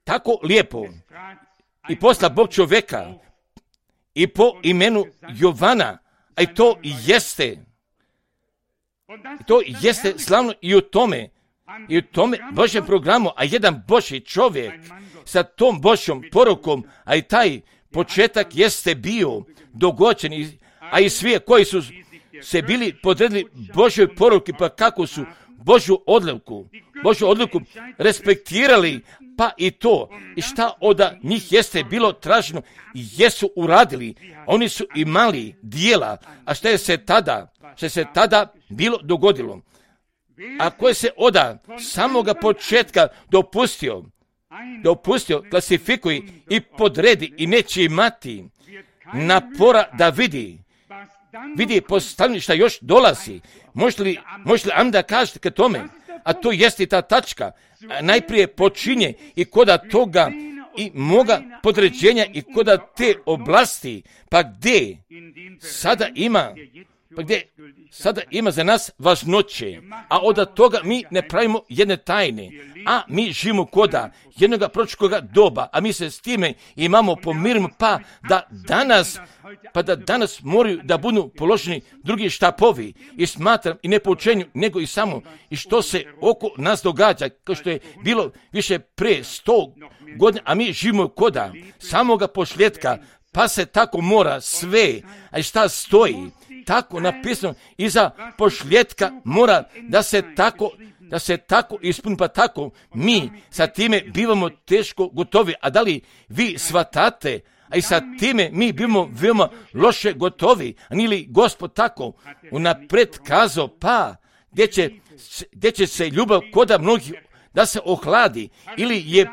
tako lijepo, i posla Bog čovjeka i po imenu Jovana, a i to jeste slavno i u tome Božjem programu, a jedan Božji čovjek sa tom Božjom porukom, a i taj početak jeste bio dogođen, a i svi koji su se bili podredili Božjoj poruki, pa kako su Božju odluku respektirali, pa i to, i šta od njih jeste bilo traženo, jesu uradili, oni su imali dijela, a što se tada bilo dogodilo. A koje se od samoga početka dopustio, klasifikuje i podredi i neće imati napora da vidi postavljanje šta još dolazi. Možete li onda kažete ka tome, a to jeste ta tačka, najprije počinje i koda toga i moga podređenja i koda te oblasti, pa gdje sada ima pa gdje sada ima za nas važnoće, a od toga mi ne pravimo jedne tajne, a mi živimo koda jednoga proročkoga doba, a mi se s time imamo pomirimo, pa da danas moraju da budu položeni drugi štapovi i smatram i ne po učenju, nego i samo i što se oko nas događa, kao što je bilo više pre 100 godina, a mi živimo koda samoga posljedka, pa se tako mora sve, a šta stoji, tako napisano, iza posljedka mora da se tako ispuni, pa tako mi sa time bivamo teško gotovi. A da li vi shvatate, a i sa time mi bivamo veoma loše gotovi, a nije li Gospod tako unapred kazao, pa gdje će se ljubav koda mnogih da se ohladi, ili je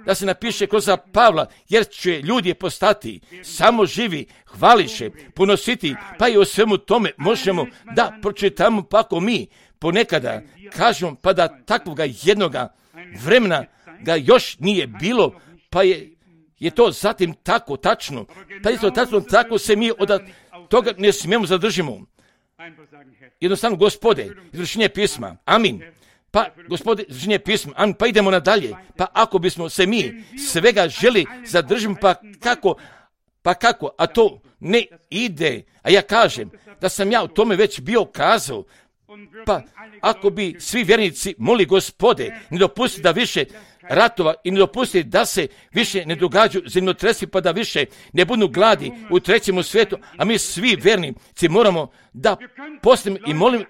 da se napiše kroz Pavla, jer će ljudi postati samo živi, hvališe, ponositi, pa i o svemu tome možemo da pročitamo, pa ako mi ponekada kažemo, pa da takvoga jednoga vremena ga još nije bilo, pa je to zatim tako tačno, pa isto tako se mi od toga ne smijemo zadržimo. Jednostavno, Gospode, izvršenje pisma, amin. Pa, Gospode, izvršenje pisma, amin, pa idemo nadalje. Pa ako bismo se mi svega želi zadržimo, pa kako, a to ne ide. A ja kažem da sam ja o tome već bio kazao, pa ako bi svi vjernici moli Gospode, ne dopusti da više ratova i ne dopusti da se više ne događaju zemljotresi, pa da više ne budu gladi u trećem svijetu, a mi svi vjernici moramo da postimo i molimo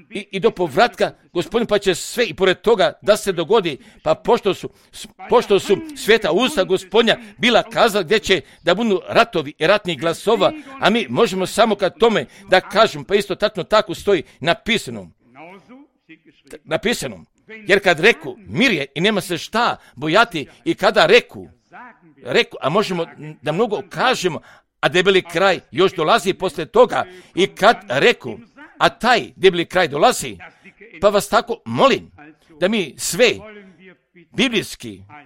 i do povratka Gospodin, pa će sve i pored toga da se dogodi, pa pošto su sveta usta Gospodnja bila kazala gdje će da budu ratovi i ratnih glasova, a mi možemo samo kad tome da kažemo, pa isto tako stoji napisano. Jer kad reku mir je i nema se šta bojati, i kada reku, a možemo da mnogo kažemo, a debeli kraj još dolazi posle toga, i kad reku, a taj debeli kraj dolazi, pa vas tako molim da mi sve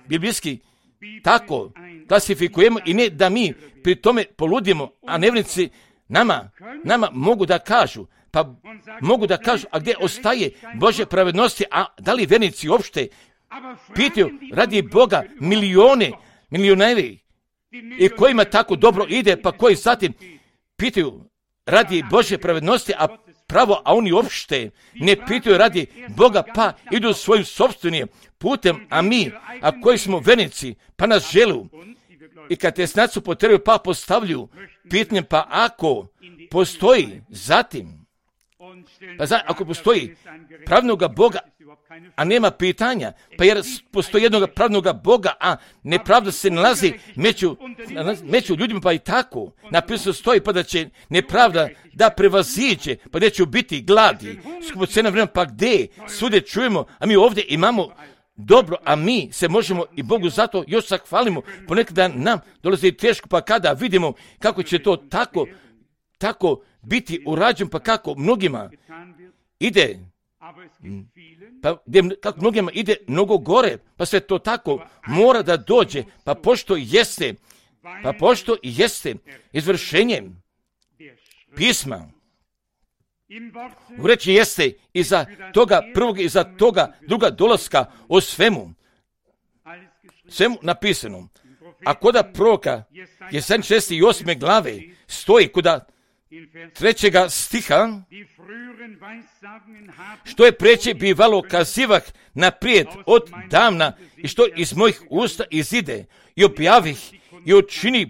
biblijski tako klasifikujemo i ne da mi pri tome poludimo, a nevjernici nama mogu da kažu, a gdje ostaje Božje pravednosti, a da li vjernici uopšte pitaju radi Boga milioneri i kojima tako dobro ide, pa koji zatim pitaju radi Božje pravednosti, a oni uopšte ne pitaju radi Boga, pa idu svojim sopstvenim putem, a koji smo vjernici, pa nas želu i kad te snacu potrebaju, pa postavljaju pitanje, pa ako postoji zatim, ako postoji pravnoga Boga, a nema pitanja, pa jer postoji jednoga pravnoga Boga, a nepravda se nalazi među ljudima, pa i tako napisano stoji, pa da će nepravda da prevaziđe, pa gdje će biti gladi, skupocena vremena, pa gdje svude čujemo, a mi ovdje imamo dobro, a mi se možemo i Bogu zato još zahvalimo, ponekada nam dolazi teško, pa kada vidimo kako će to tako biti urađeno, pa kako mnogima ide, kako mnogima ide mnogo gore, pa sve to tako mora da dođe, pa pošto jeste izvršenjem pisma, u reči jeste iza toga prvog i iza toga druga dolaska o svemu napisano. A koda proroka Jesaja 6. i 8. glave stoji koda 3. stiha, što je preče bivalo kazivah naprijed od davna i što iz mojih usta izide i objavih i učinih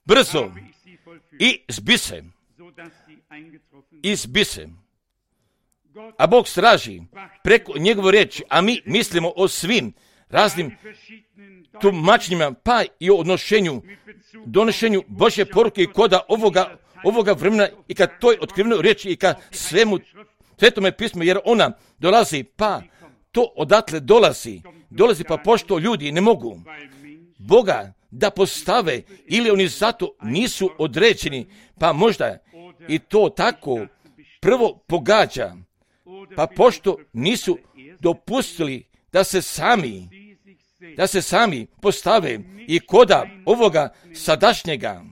brzo i zbise. A Bog straži preko njegove riječi, a mi mislimo o svim raznim tumačenjima, pa i o donošenju Božje poruke i koda ovoga vremena, i kad toj otkrivnoj riječi i kad svetome pismu, jer ona dolazi, pa to odatle dolazi pa pošto ljudi ne mogu Boga da postave, ili oni zato nisu određeni, pa možda i to tako prvo pogađa, pa pošto nisu dopustili da se sami postave i koda ovoga sadašnjega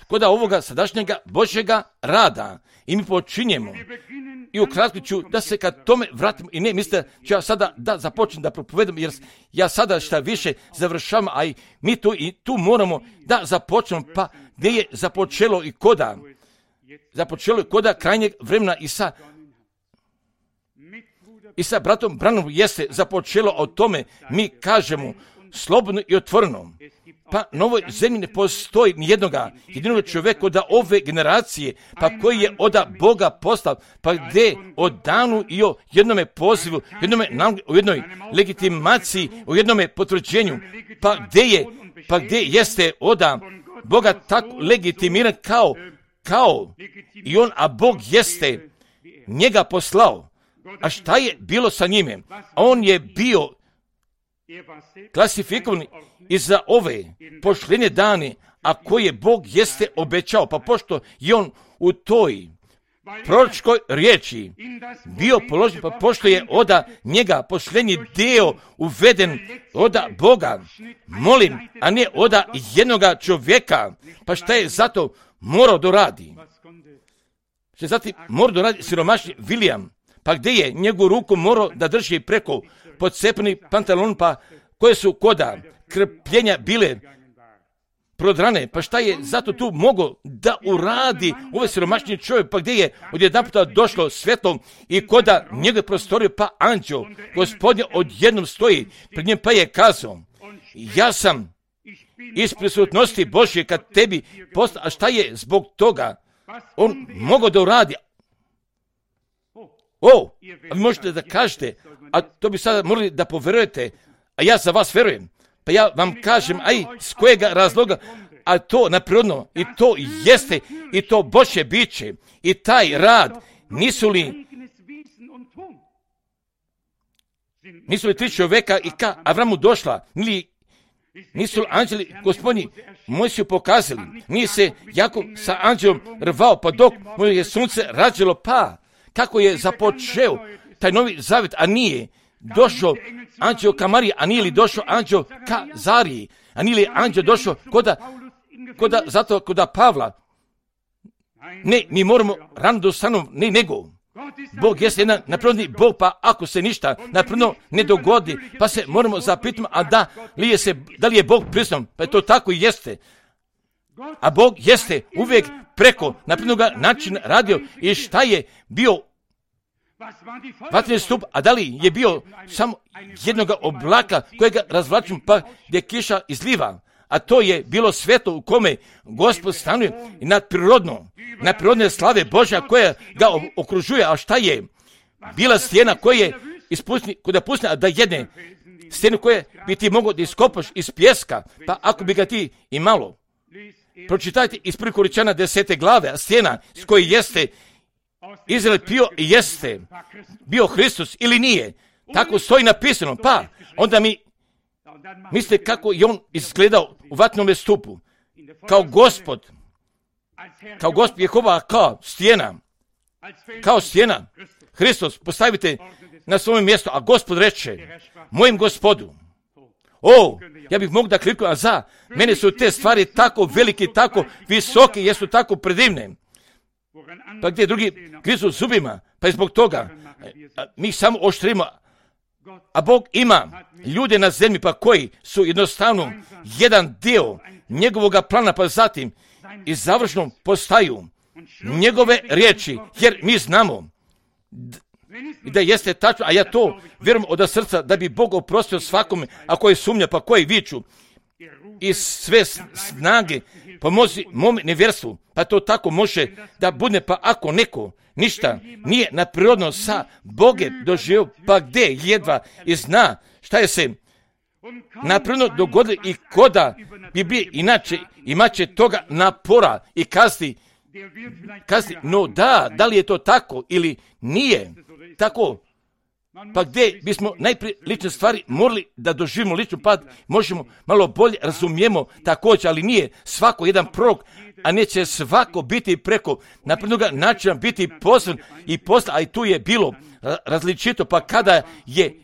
kod ovoga sadašnjega Božjega rada i mi počinjemo. I ukratko ću da se kad tome vratimo i ne mislite ću ja sada da započnem da propovedam, jer ja sada šta više završavam, a i mi tu moramo da započnemo, pa gdje je započelo i koda? Započelo je koda krajnjeg vremena i sa bratom Branhamom jeste započelo o tome, mi kažemo slobodno i otvoreno. Pa na ovoj zemlji ne postoji jedinog čovjeka od ove generacije, pa koji je od Boga postao, pa gdje o danu i o jednome pozivu, o jednoj legitimaciji, o jednome potvrđenju, pa gdje jeste od Boga tako legitimiran kao i on, a Bog jeste njega poslao. A šta je bilo sa njime? On je bio klasifikovan i za ove poštenje dane, a koje Bog jeste obećao, pa pošto je on u toj proročkoj riječi bio položen, pa pošto je od njega poštenji dio uveden od Boga, molim, a ne od jednoga čovjeka, pa šta je zato morao doradi? Što je zatim morao doradi siromašni William, pa gdje je njegovu ruku morao da drži preko podcepani pantalon, pa koje su koda krpljenja bile prodrane, pa šta je zato tu mogao da uradi ovaj siromašni čovjek, pa gdje je odjedanputa došlo svjetlo i koda njegove prostorije, pa anđeo Gospodnje odjednom stoji pred njim, pa je kazao, ja sam iz prisutnosti Božje kad tebi postao, a šta je zbog toga on mogao da uradi? A vi možete da kažete, a to bi sada morali da poverujete, a ja za vas verujem. Pa ja vam kažem, s kojega razloga, a to naprirodno, i to jeste, i to Božje biće, i taj rad, nisu li tri čovjeka i ka Avramu došla, nisu li anđeli Gospodnji Mojsiju pokazali, nije se Jakov sa anđelom rvao, pa dok mu je sunce rađalo, pa kako je započeo taj novi zavjet, a nije došao anđeo ka Mariji, a nije li došao anđeo ka Zariji, a nije li anđeo došao koda Pavla. Ne, mi moramo rano da ustanemo, ne nego. Bog jeste jedan naprirodni Bog, pa ako se ništa naprirodno ne dogodi, pa se moramo zapitati, a da li je Bog prisutan, pa je to tako i jeste. A Bog jeste uvijek preko naprirodnoga načina radio i šta je bio vatreni stup, a da li je bio samo jednoga oblaka kojega razvlačimo, pa gdje kiša izliva, a to je bilo svjetlo u kome Gospod stanuje i nadprirodne slave Božja koja ga okružuje, a šta je bila stijena koja je pustila da jedne stijenu koje bi ti mogao da iskopaš iz pjeska, pa ako bi ga ti i malo. Pročitajte iz 1. Korinćana 10. glave, a stijena s koje jeste Izrael jeste bio Hristos ili nije. Tako stoji napisano, pa onda mi mislite kako je on izgledao u vatnome stupu. Kao gospod Jehova, kao stijena. Hristos postavite na svoje mjesto, a Gospod reče, mojem Gospodu, ja bih mogao da kliknuo, a mene su te stvari tako velike, tako visoke, jesu tako predivne. Pa gdje drugi grizu zubima, pa je zbog toga mi samo oštrimo, a Bog ima ljude na zemlji, pa koji su jednostavno jedan dio njegovoga plana, pa zatim i završno postaju njegove riječi, jer mi znamo da jeste tačno, a ja to vjerujem od srca, da bi Bog oprostio svakome, a koji sumnja, pa koji viču i sve snage pomozi mom nevjerstvu, pa to tako može da bude, pa ako neko ništa nije naprirodno sa Boge doživio, pa gdje jedva i zna šta je se naprirodno dogodilo i koda bi bio inače imaće toga napora i kazni, no da li je to tako ili nije tako, pa gdje bismo najprije lične stvari morali da doživimo ličnu, pa možemo malo bolje razumijemo također, ali nije svako jedan prorok, a neće svako biti preko naprednoga načina biti poslan i posla, a i tu je bilo različito, pa kada je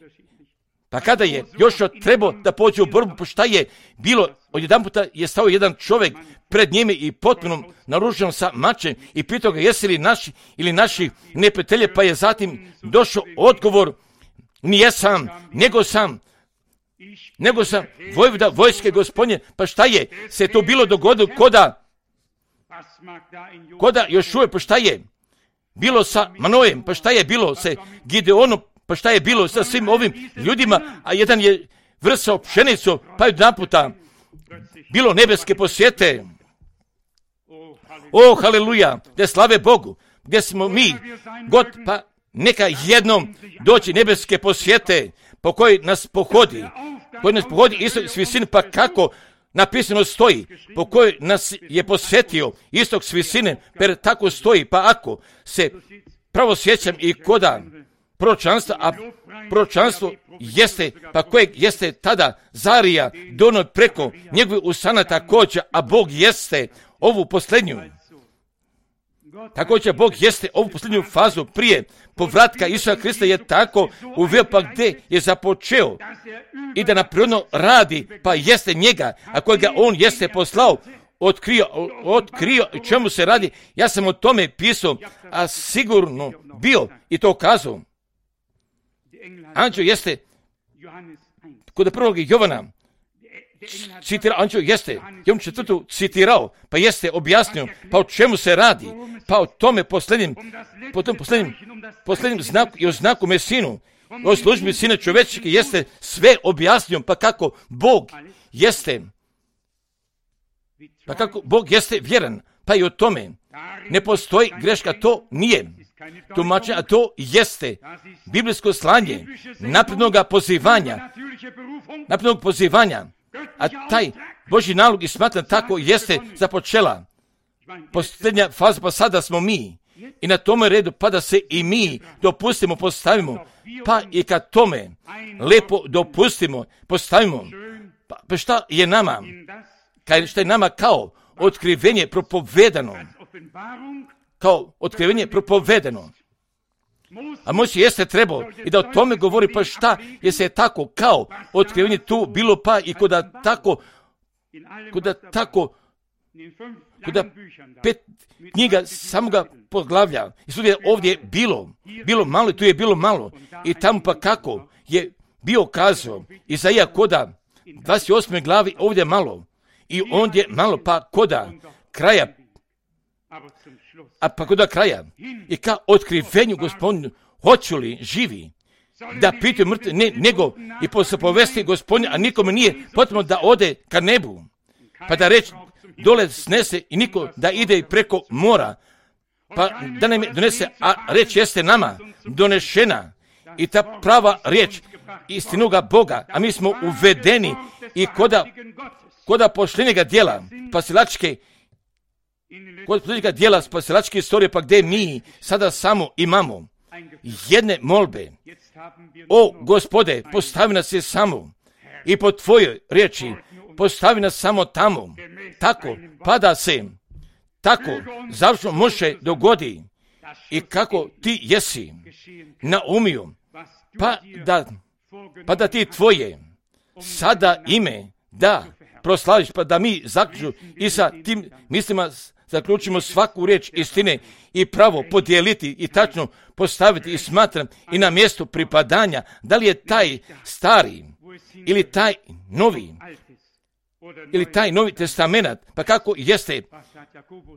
Pa kada je Jošua trebao da pođe u borbu, pa šta je bilo? Odjedanputa je stao jedan čovjek pred njime i potpuno naružen sa mačem i pitao ga jesi li naši ili naši neprijatelje, pa je zatim došao odgovor, nije sam, nego sam vojvoda vojske Gospodnje. Pa šta je se to bilo dogodilo koda Jošue, pa šta je bilo sa Manojem, pa šta je bilo sa Gideonom, pa šta je bilo sa svim ovim ljudima, a jedan je vrsao pšenicu, pa je naputa bilo nebeske posjete. O, haleluja, da slave Bogu, gdje smo mi, god, pa neka jednom doći nebeske posjete, po kojoj nas pohodi istok s visine, pa kako napisano stoji, po kojoj nas je posjetio istok s visine, per tako stoji, pa ako se pravo sjećam i koda proročanstva, a proročanstvo jeste, pa kojeg jeste tada Zarija dono preko njegove usana također, a Bog jeste ovu posljednju. Također Bog jeste ovu posljednju fazu prije povratka Isusa Krista je tako uveo, pa gdje je započeo i da naprirodno radi, pa jeste njega, a kojega on jeste poslao, otkrio čemu se radi. Ja sam o tome pisao, a sigurno bio i to kazao. Anđeo jeste kod prvog Jovana citirao, anđeo jeste Jovan 4. citirao, pa jeste objasnio, pa o čemu se radi, pa o tome posljednjem znaku i o znaku Mesinu, o službi Sina čovečke jeste sve objasnio, pa kako Bog jeste vjeran, pa i o tome ne postoji greška, to nije tumačenje, a to jeste biblijsko slanje naprednog pozivanja, a taj Božji nalog i smatram tako jeste započela posljednja faza, pa sada smo mi i na tome redu, pa da se i mi dopustimo, postavimo, pa i kad tome lepo dopustimo, postavimo, pa šta je nama, kao otkrivenje propovedano, a Mojsije jeste trebao i da o tome govori, pa šta je se tako kao otkrivenje tu bilo, pa i koda pet knjiga samoga poglavlja i sudje ovdje je bilo malo i tu je bilo malo i tamo pa kako je bio kazao Izaija koda 28. glavi ovdje malo i ondje malo, pa koda kraja i ka otkrivenju Gospodinu hoću li živi da pitaju mrtve, nego i posle povesti Gospodinu, a nikome nije potrebno da ode ka nebu, pa da reći dole snese i niko da ide i preko mora, pa da nam donese, a reč jeste nama donešena i ta prava riječ istinoga Boga, a mi smo uvedeni i koda pošljenjega dijela spasilačke istorije, pa gdje mi sada samo imamo jedne molbe. O Gospode, postavi nas je samo i po tvojoj riječi postavi nas samo tamo, tako pa da se tako završno može dogodi i kako ti jesi naumio, pa da ti tvoje sada ime da proslaviš, pa da mi zaključimo i sa tim mislima zaključimo svaku riječ istine i pravo podijeliti i tačno postaviti i smatram i na mjestu pripadanja, da li je taj stari ili taj novi testament, pa kako jeste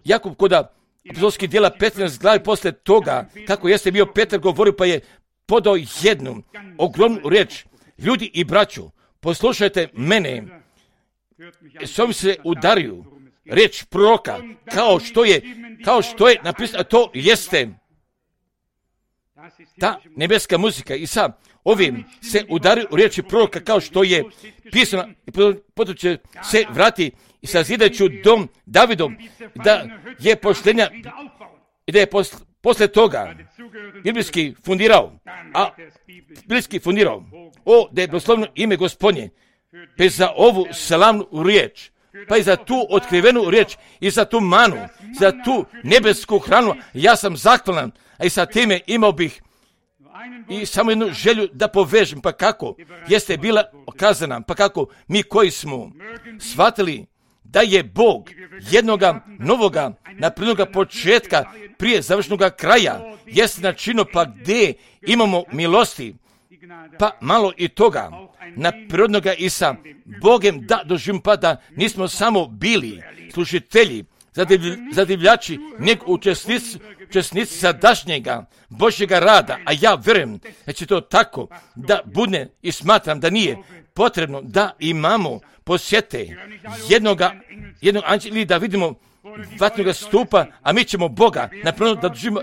Jakub koda apostolskih djela 15 glavi posle toga, kako jeste bio Petar govorio, pa je podao jednu ogromnu riječ, ljudi i braćo, poslušajte mene, s ovim se udariju riječ proroka, kao što je napisano, a to jeste ta nebeska muzika i sa ovim se udaraju riječi proroka kao što je pisano i potom će se vrati i sazidajući dom Davidom, da je poštenja i da je posle toga biblijski fundirao, da je blagosloveno ime Gospodnje, bez za ovu slavnu riječ, pa i za tu otkrivenu riječ i za tu manu, za tu nebesku hranu, ja sam zahvalan, a i sa time imao bih i samo jednu želju da povežem, pa kako jeste bila okazana, pa kako mi koji smo shvatili da je Bog jednoga novoga, naprednoga početka prije završnoga kraja, jeste načino pa gdje imamo milosti, pa malo i toga naprednoga i sa Bogem da doživimo, pa da nismo samo bili slušitelji, zadivljači, nego učesnici sadašnjega Božjega rada, a ja vjerujem da će to tako da bude i smatram da nije potrebno da imamo posjete jednog anđela ili da vidimo vatnoga stupa, a mi ćemo Boga napravno da doživimo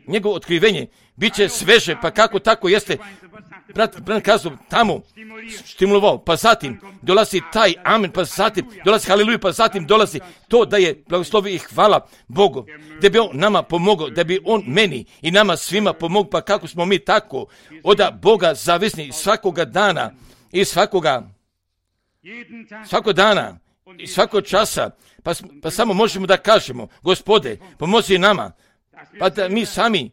njegovo otkrivenje, bit će sveže, pa kako tako jeste brat kazao tamo stimulovao, pa zatim dolazi taj amen, pa zatim dolazi haleluja, pa zatim dolazi to da je blagoslovi i hvala Bogu, da bi on nama pomogao, da bi on meni i nama svima pomogao, pa kako smo mi tako od Boga zavisni svakoga dana i svakog dana i svakog časa, pa samo možemo da kažemo, Gospode, pomozi nama, pa da mi sami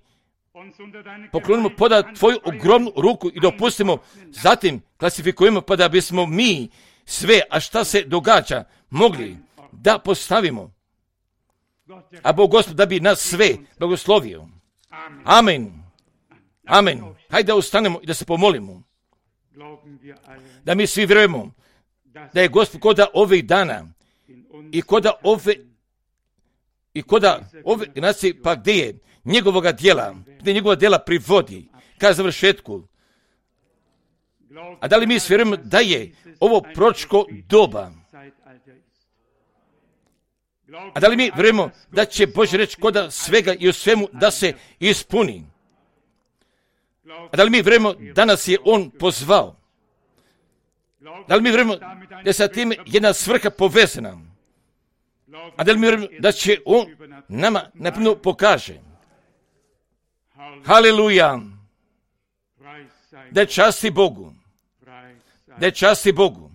poklonimo poda tvoju ogromnu ruku i dopustimo, zatim klasifikujemo, pa da bismo mi sve, a šta se događa, mogli da postavimo. A Bog Gospod da bi nas sve blagoslovio. Amen. Amen. Hajde da ustanemo i da se pomolimo. Da mi svi vjerujemo da je Gospod koda ovih dana i koda ove nacije, pa gdje je njegovoga djela, gdje njegova djela privodi ka završetku. A da li mi vjerujemo da je ovo proročko doba? A da li mi vjerujemo da će Božja reč koda svega i u svemu da se ispuni? A da li mi vjerujemo da nas je On pozvao? Da li mi vjerujemo da je sa time jedna svrha povezana? A da li mi vjerujemo da će On nama napravo pokaže? Haleluja! Da je časti Bogu. Da je časti Bogu.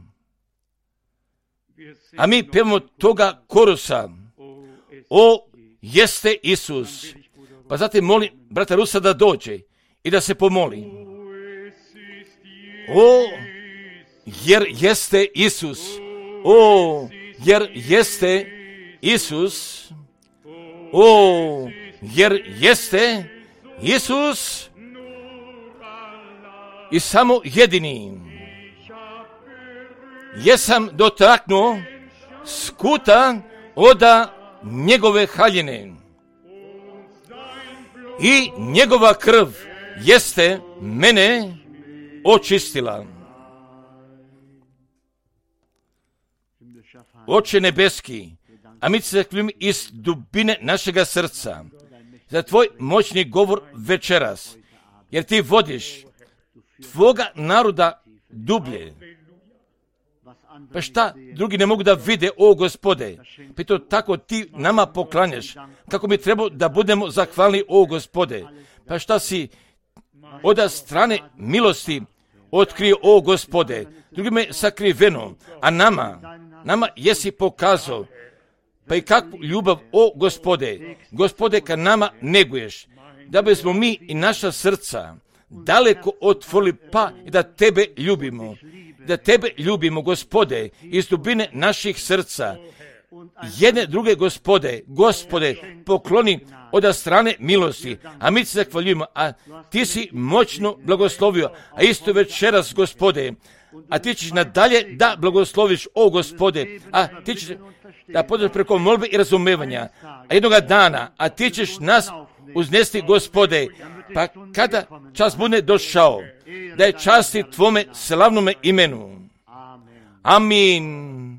A mi pevamo toga korusa. O, jeste Isus. Pa zatim molim brata Rusa da dođe i da se pomoli. O, jer jeste Isus. O, jer jeste Isus. O, jer jeste Isus i samo jedini. Jesam dotaknuo skuta oda njegove haljine i njegova krv jeste mene očistila. Oče nebeski, a mi se zahvaljujemo iz dubine našega srca za tvoj moćni govor večeras, jer ti vodiš tvoga naroda dublje. Pa šta drugi ne mogu da vide, o Gospode? Pa to tako ti nama poklanjaš, kako mi treba da budemo zahvalni, o Gospode. Pa šta si od strane milosti otkrio, o Gospode, drugime sakriveno, a nama jesi pokazao, pa i kakvu ljubav, o Gospode, Gospode, kad nama neguješ, da bismo mi i naša srca daleko otvorili, pa i da tebe ljubimo, Gospode, iz dubine naših srca. Jedne druge, Gospode, pokloni od strane milosti, a mi se zahvaljujemo, a ti si moćno blagoslovio, a isto večeras, Gospode, a ti ćeš nadalje da blagosloviš, o Gospode, a ti ćeš da podeš preko molbe i razumevanja, a jednoga dana, a ti ćeš nas uznesti, Gospode, pa kada čas bude došao, da je časti tvome slavnome imenu. Amin.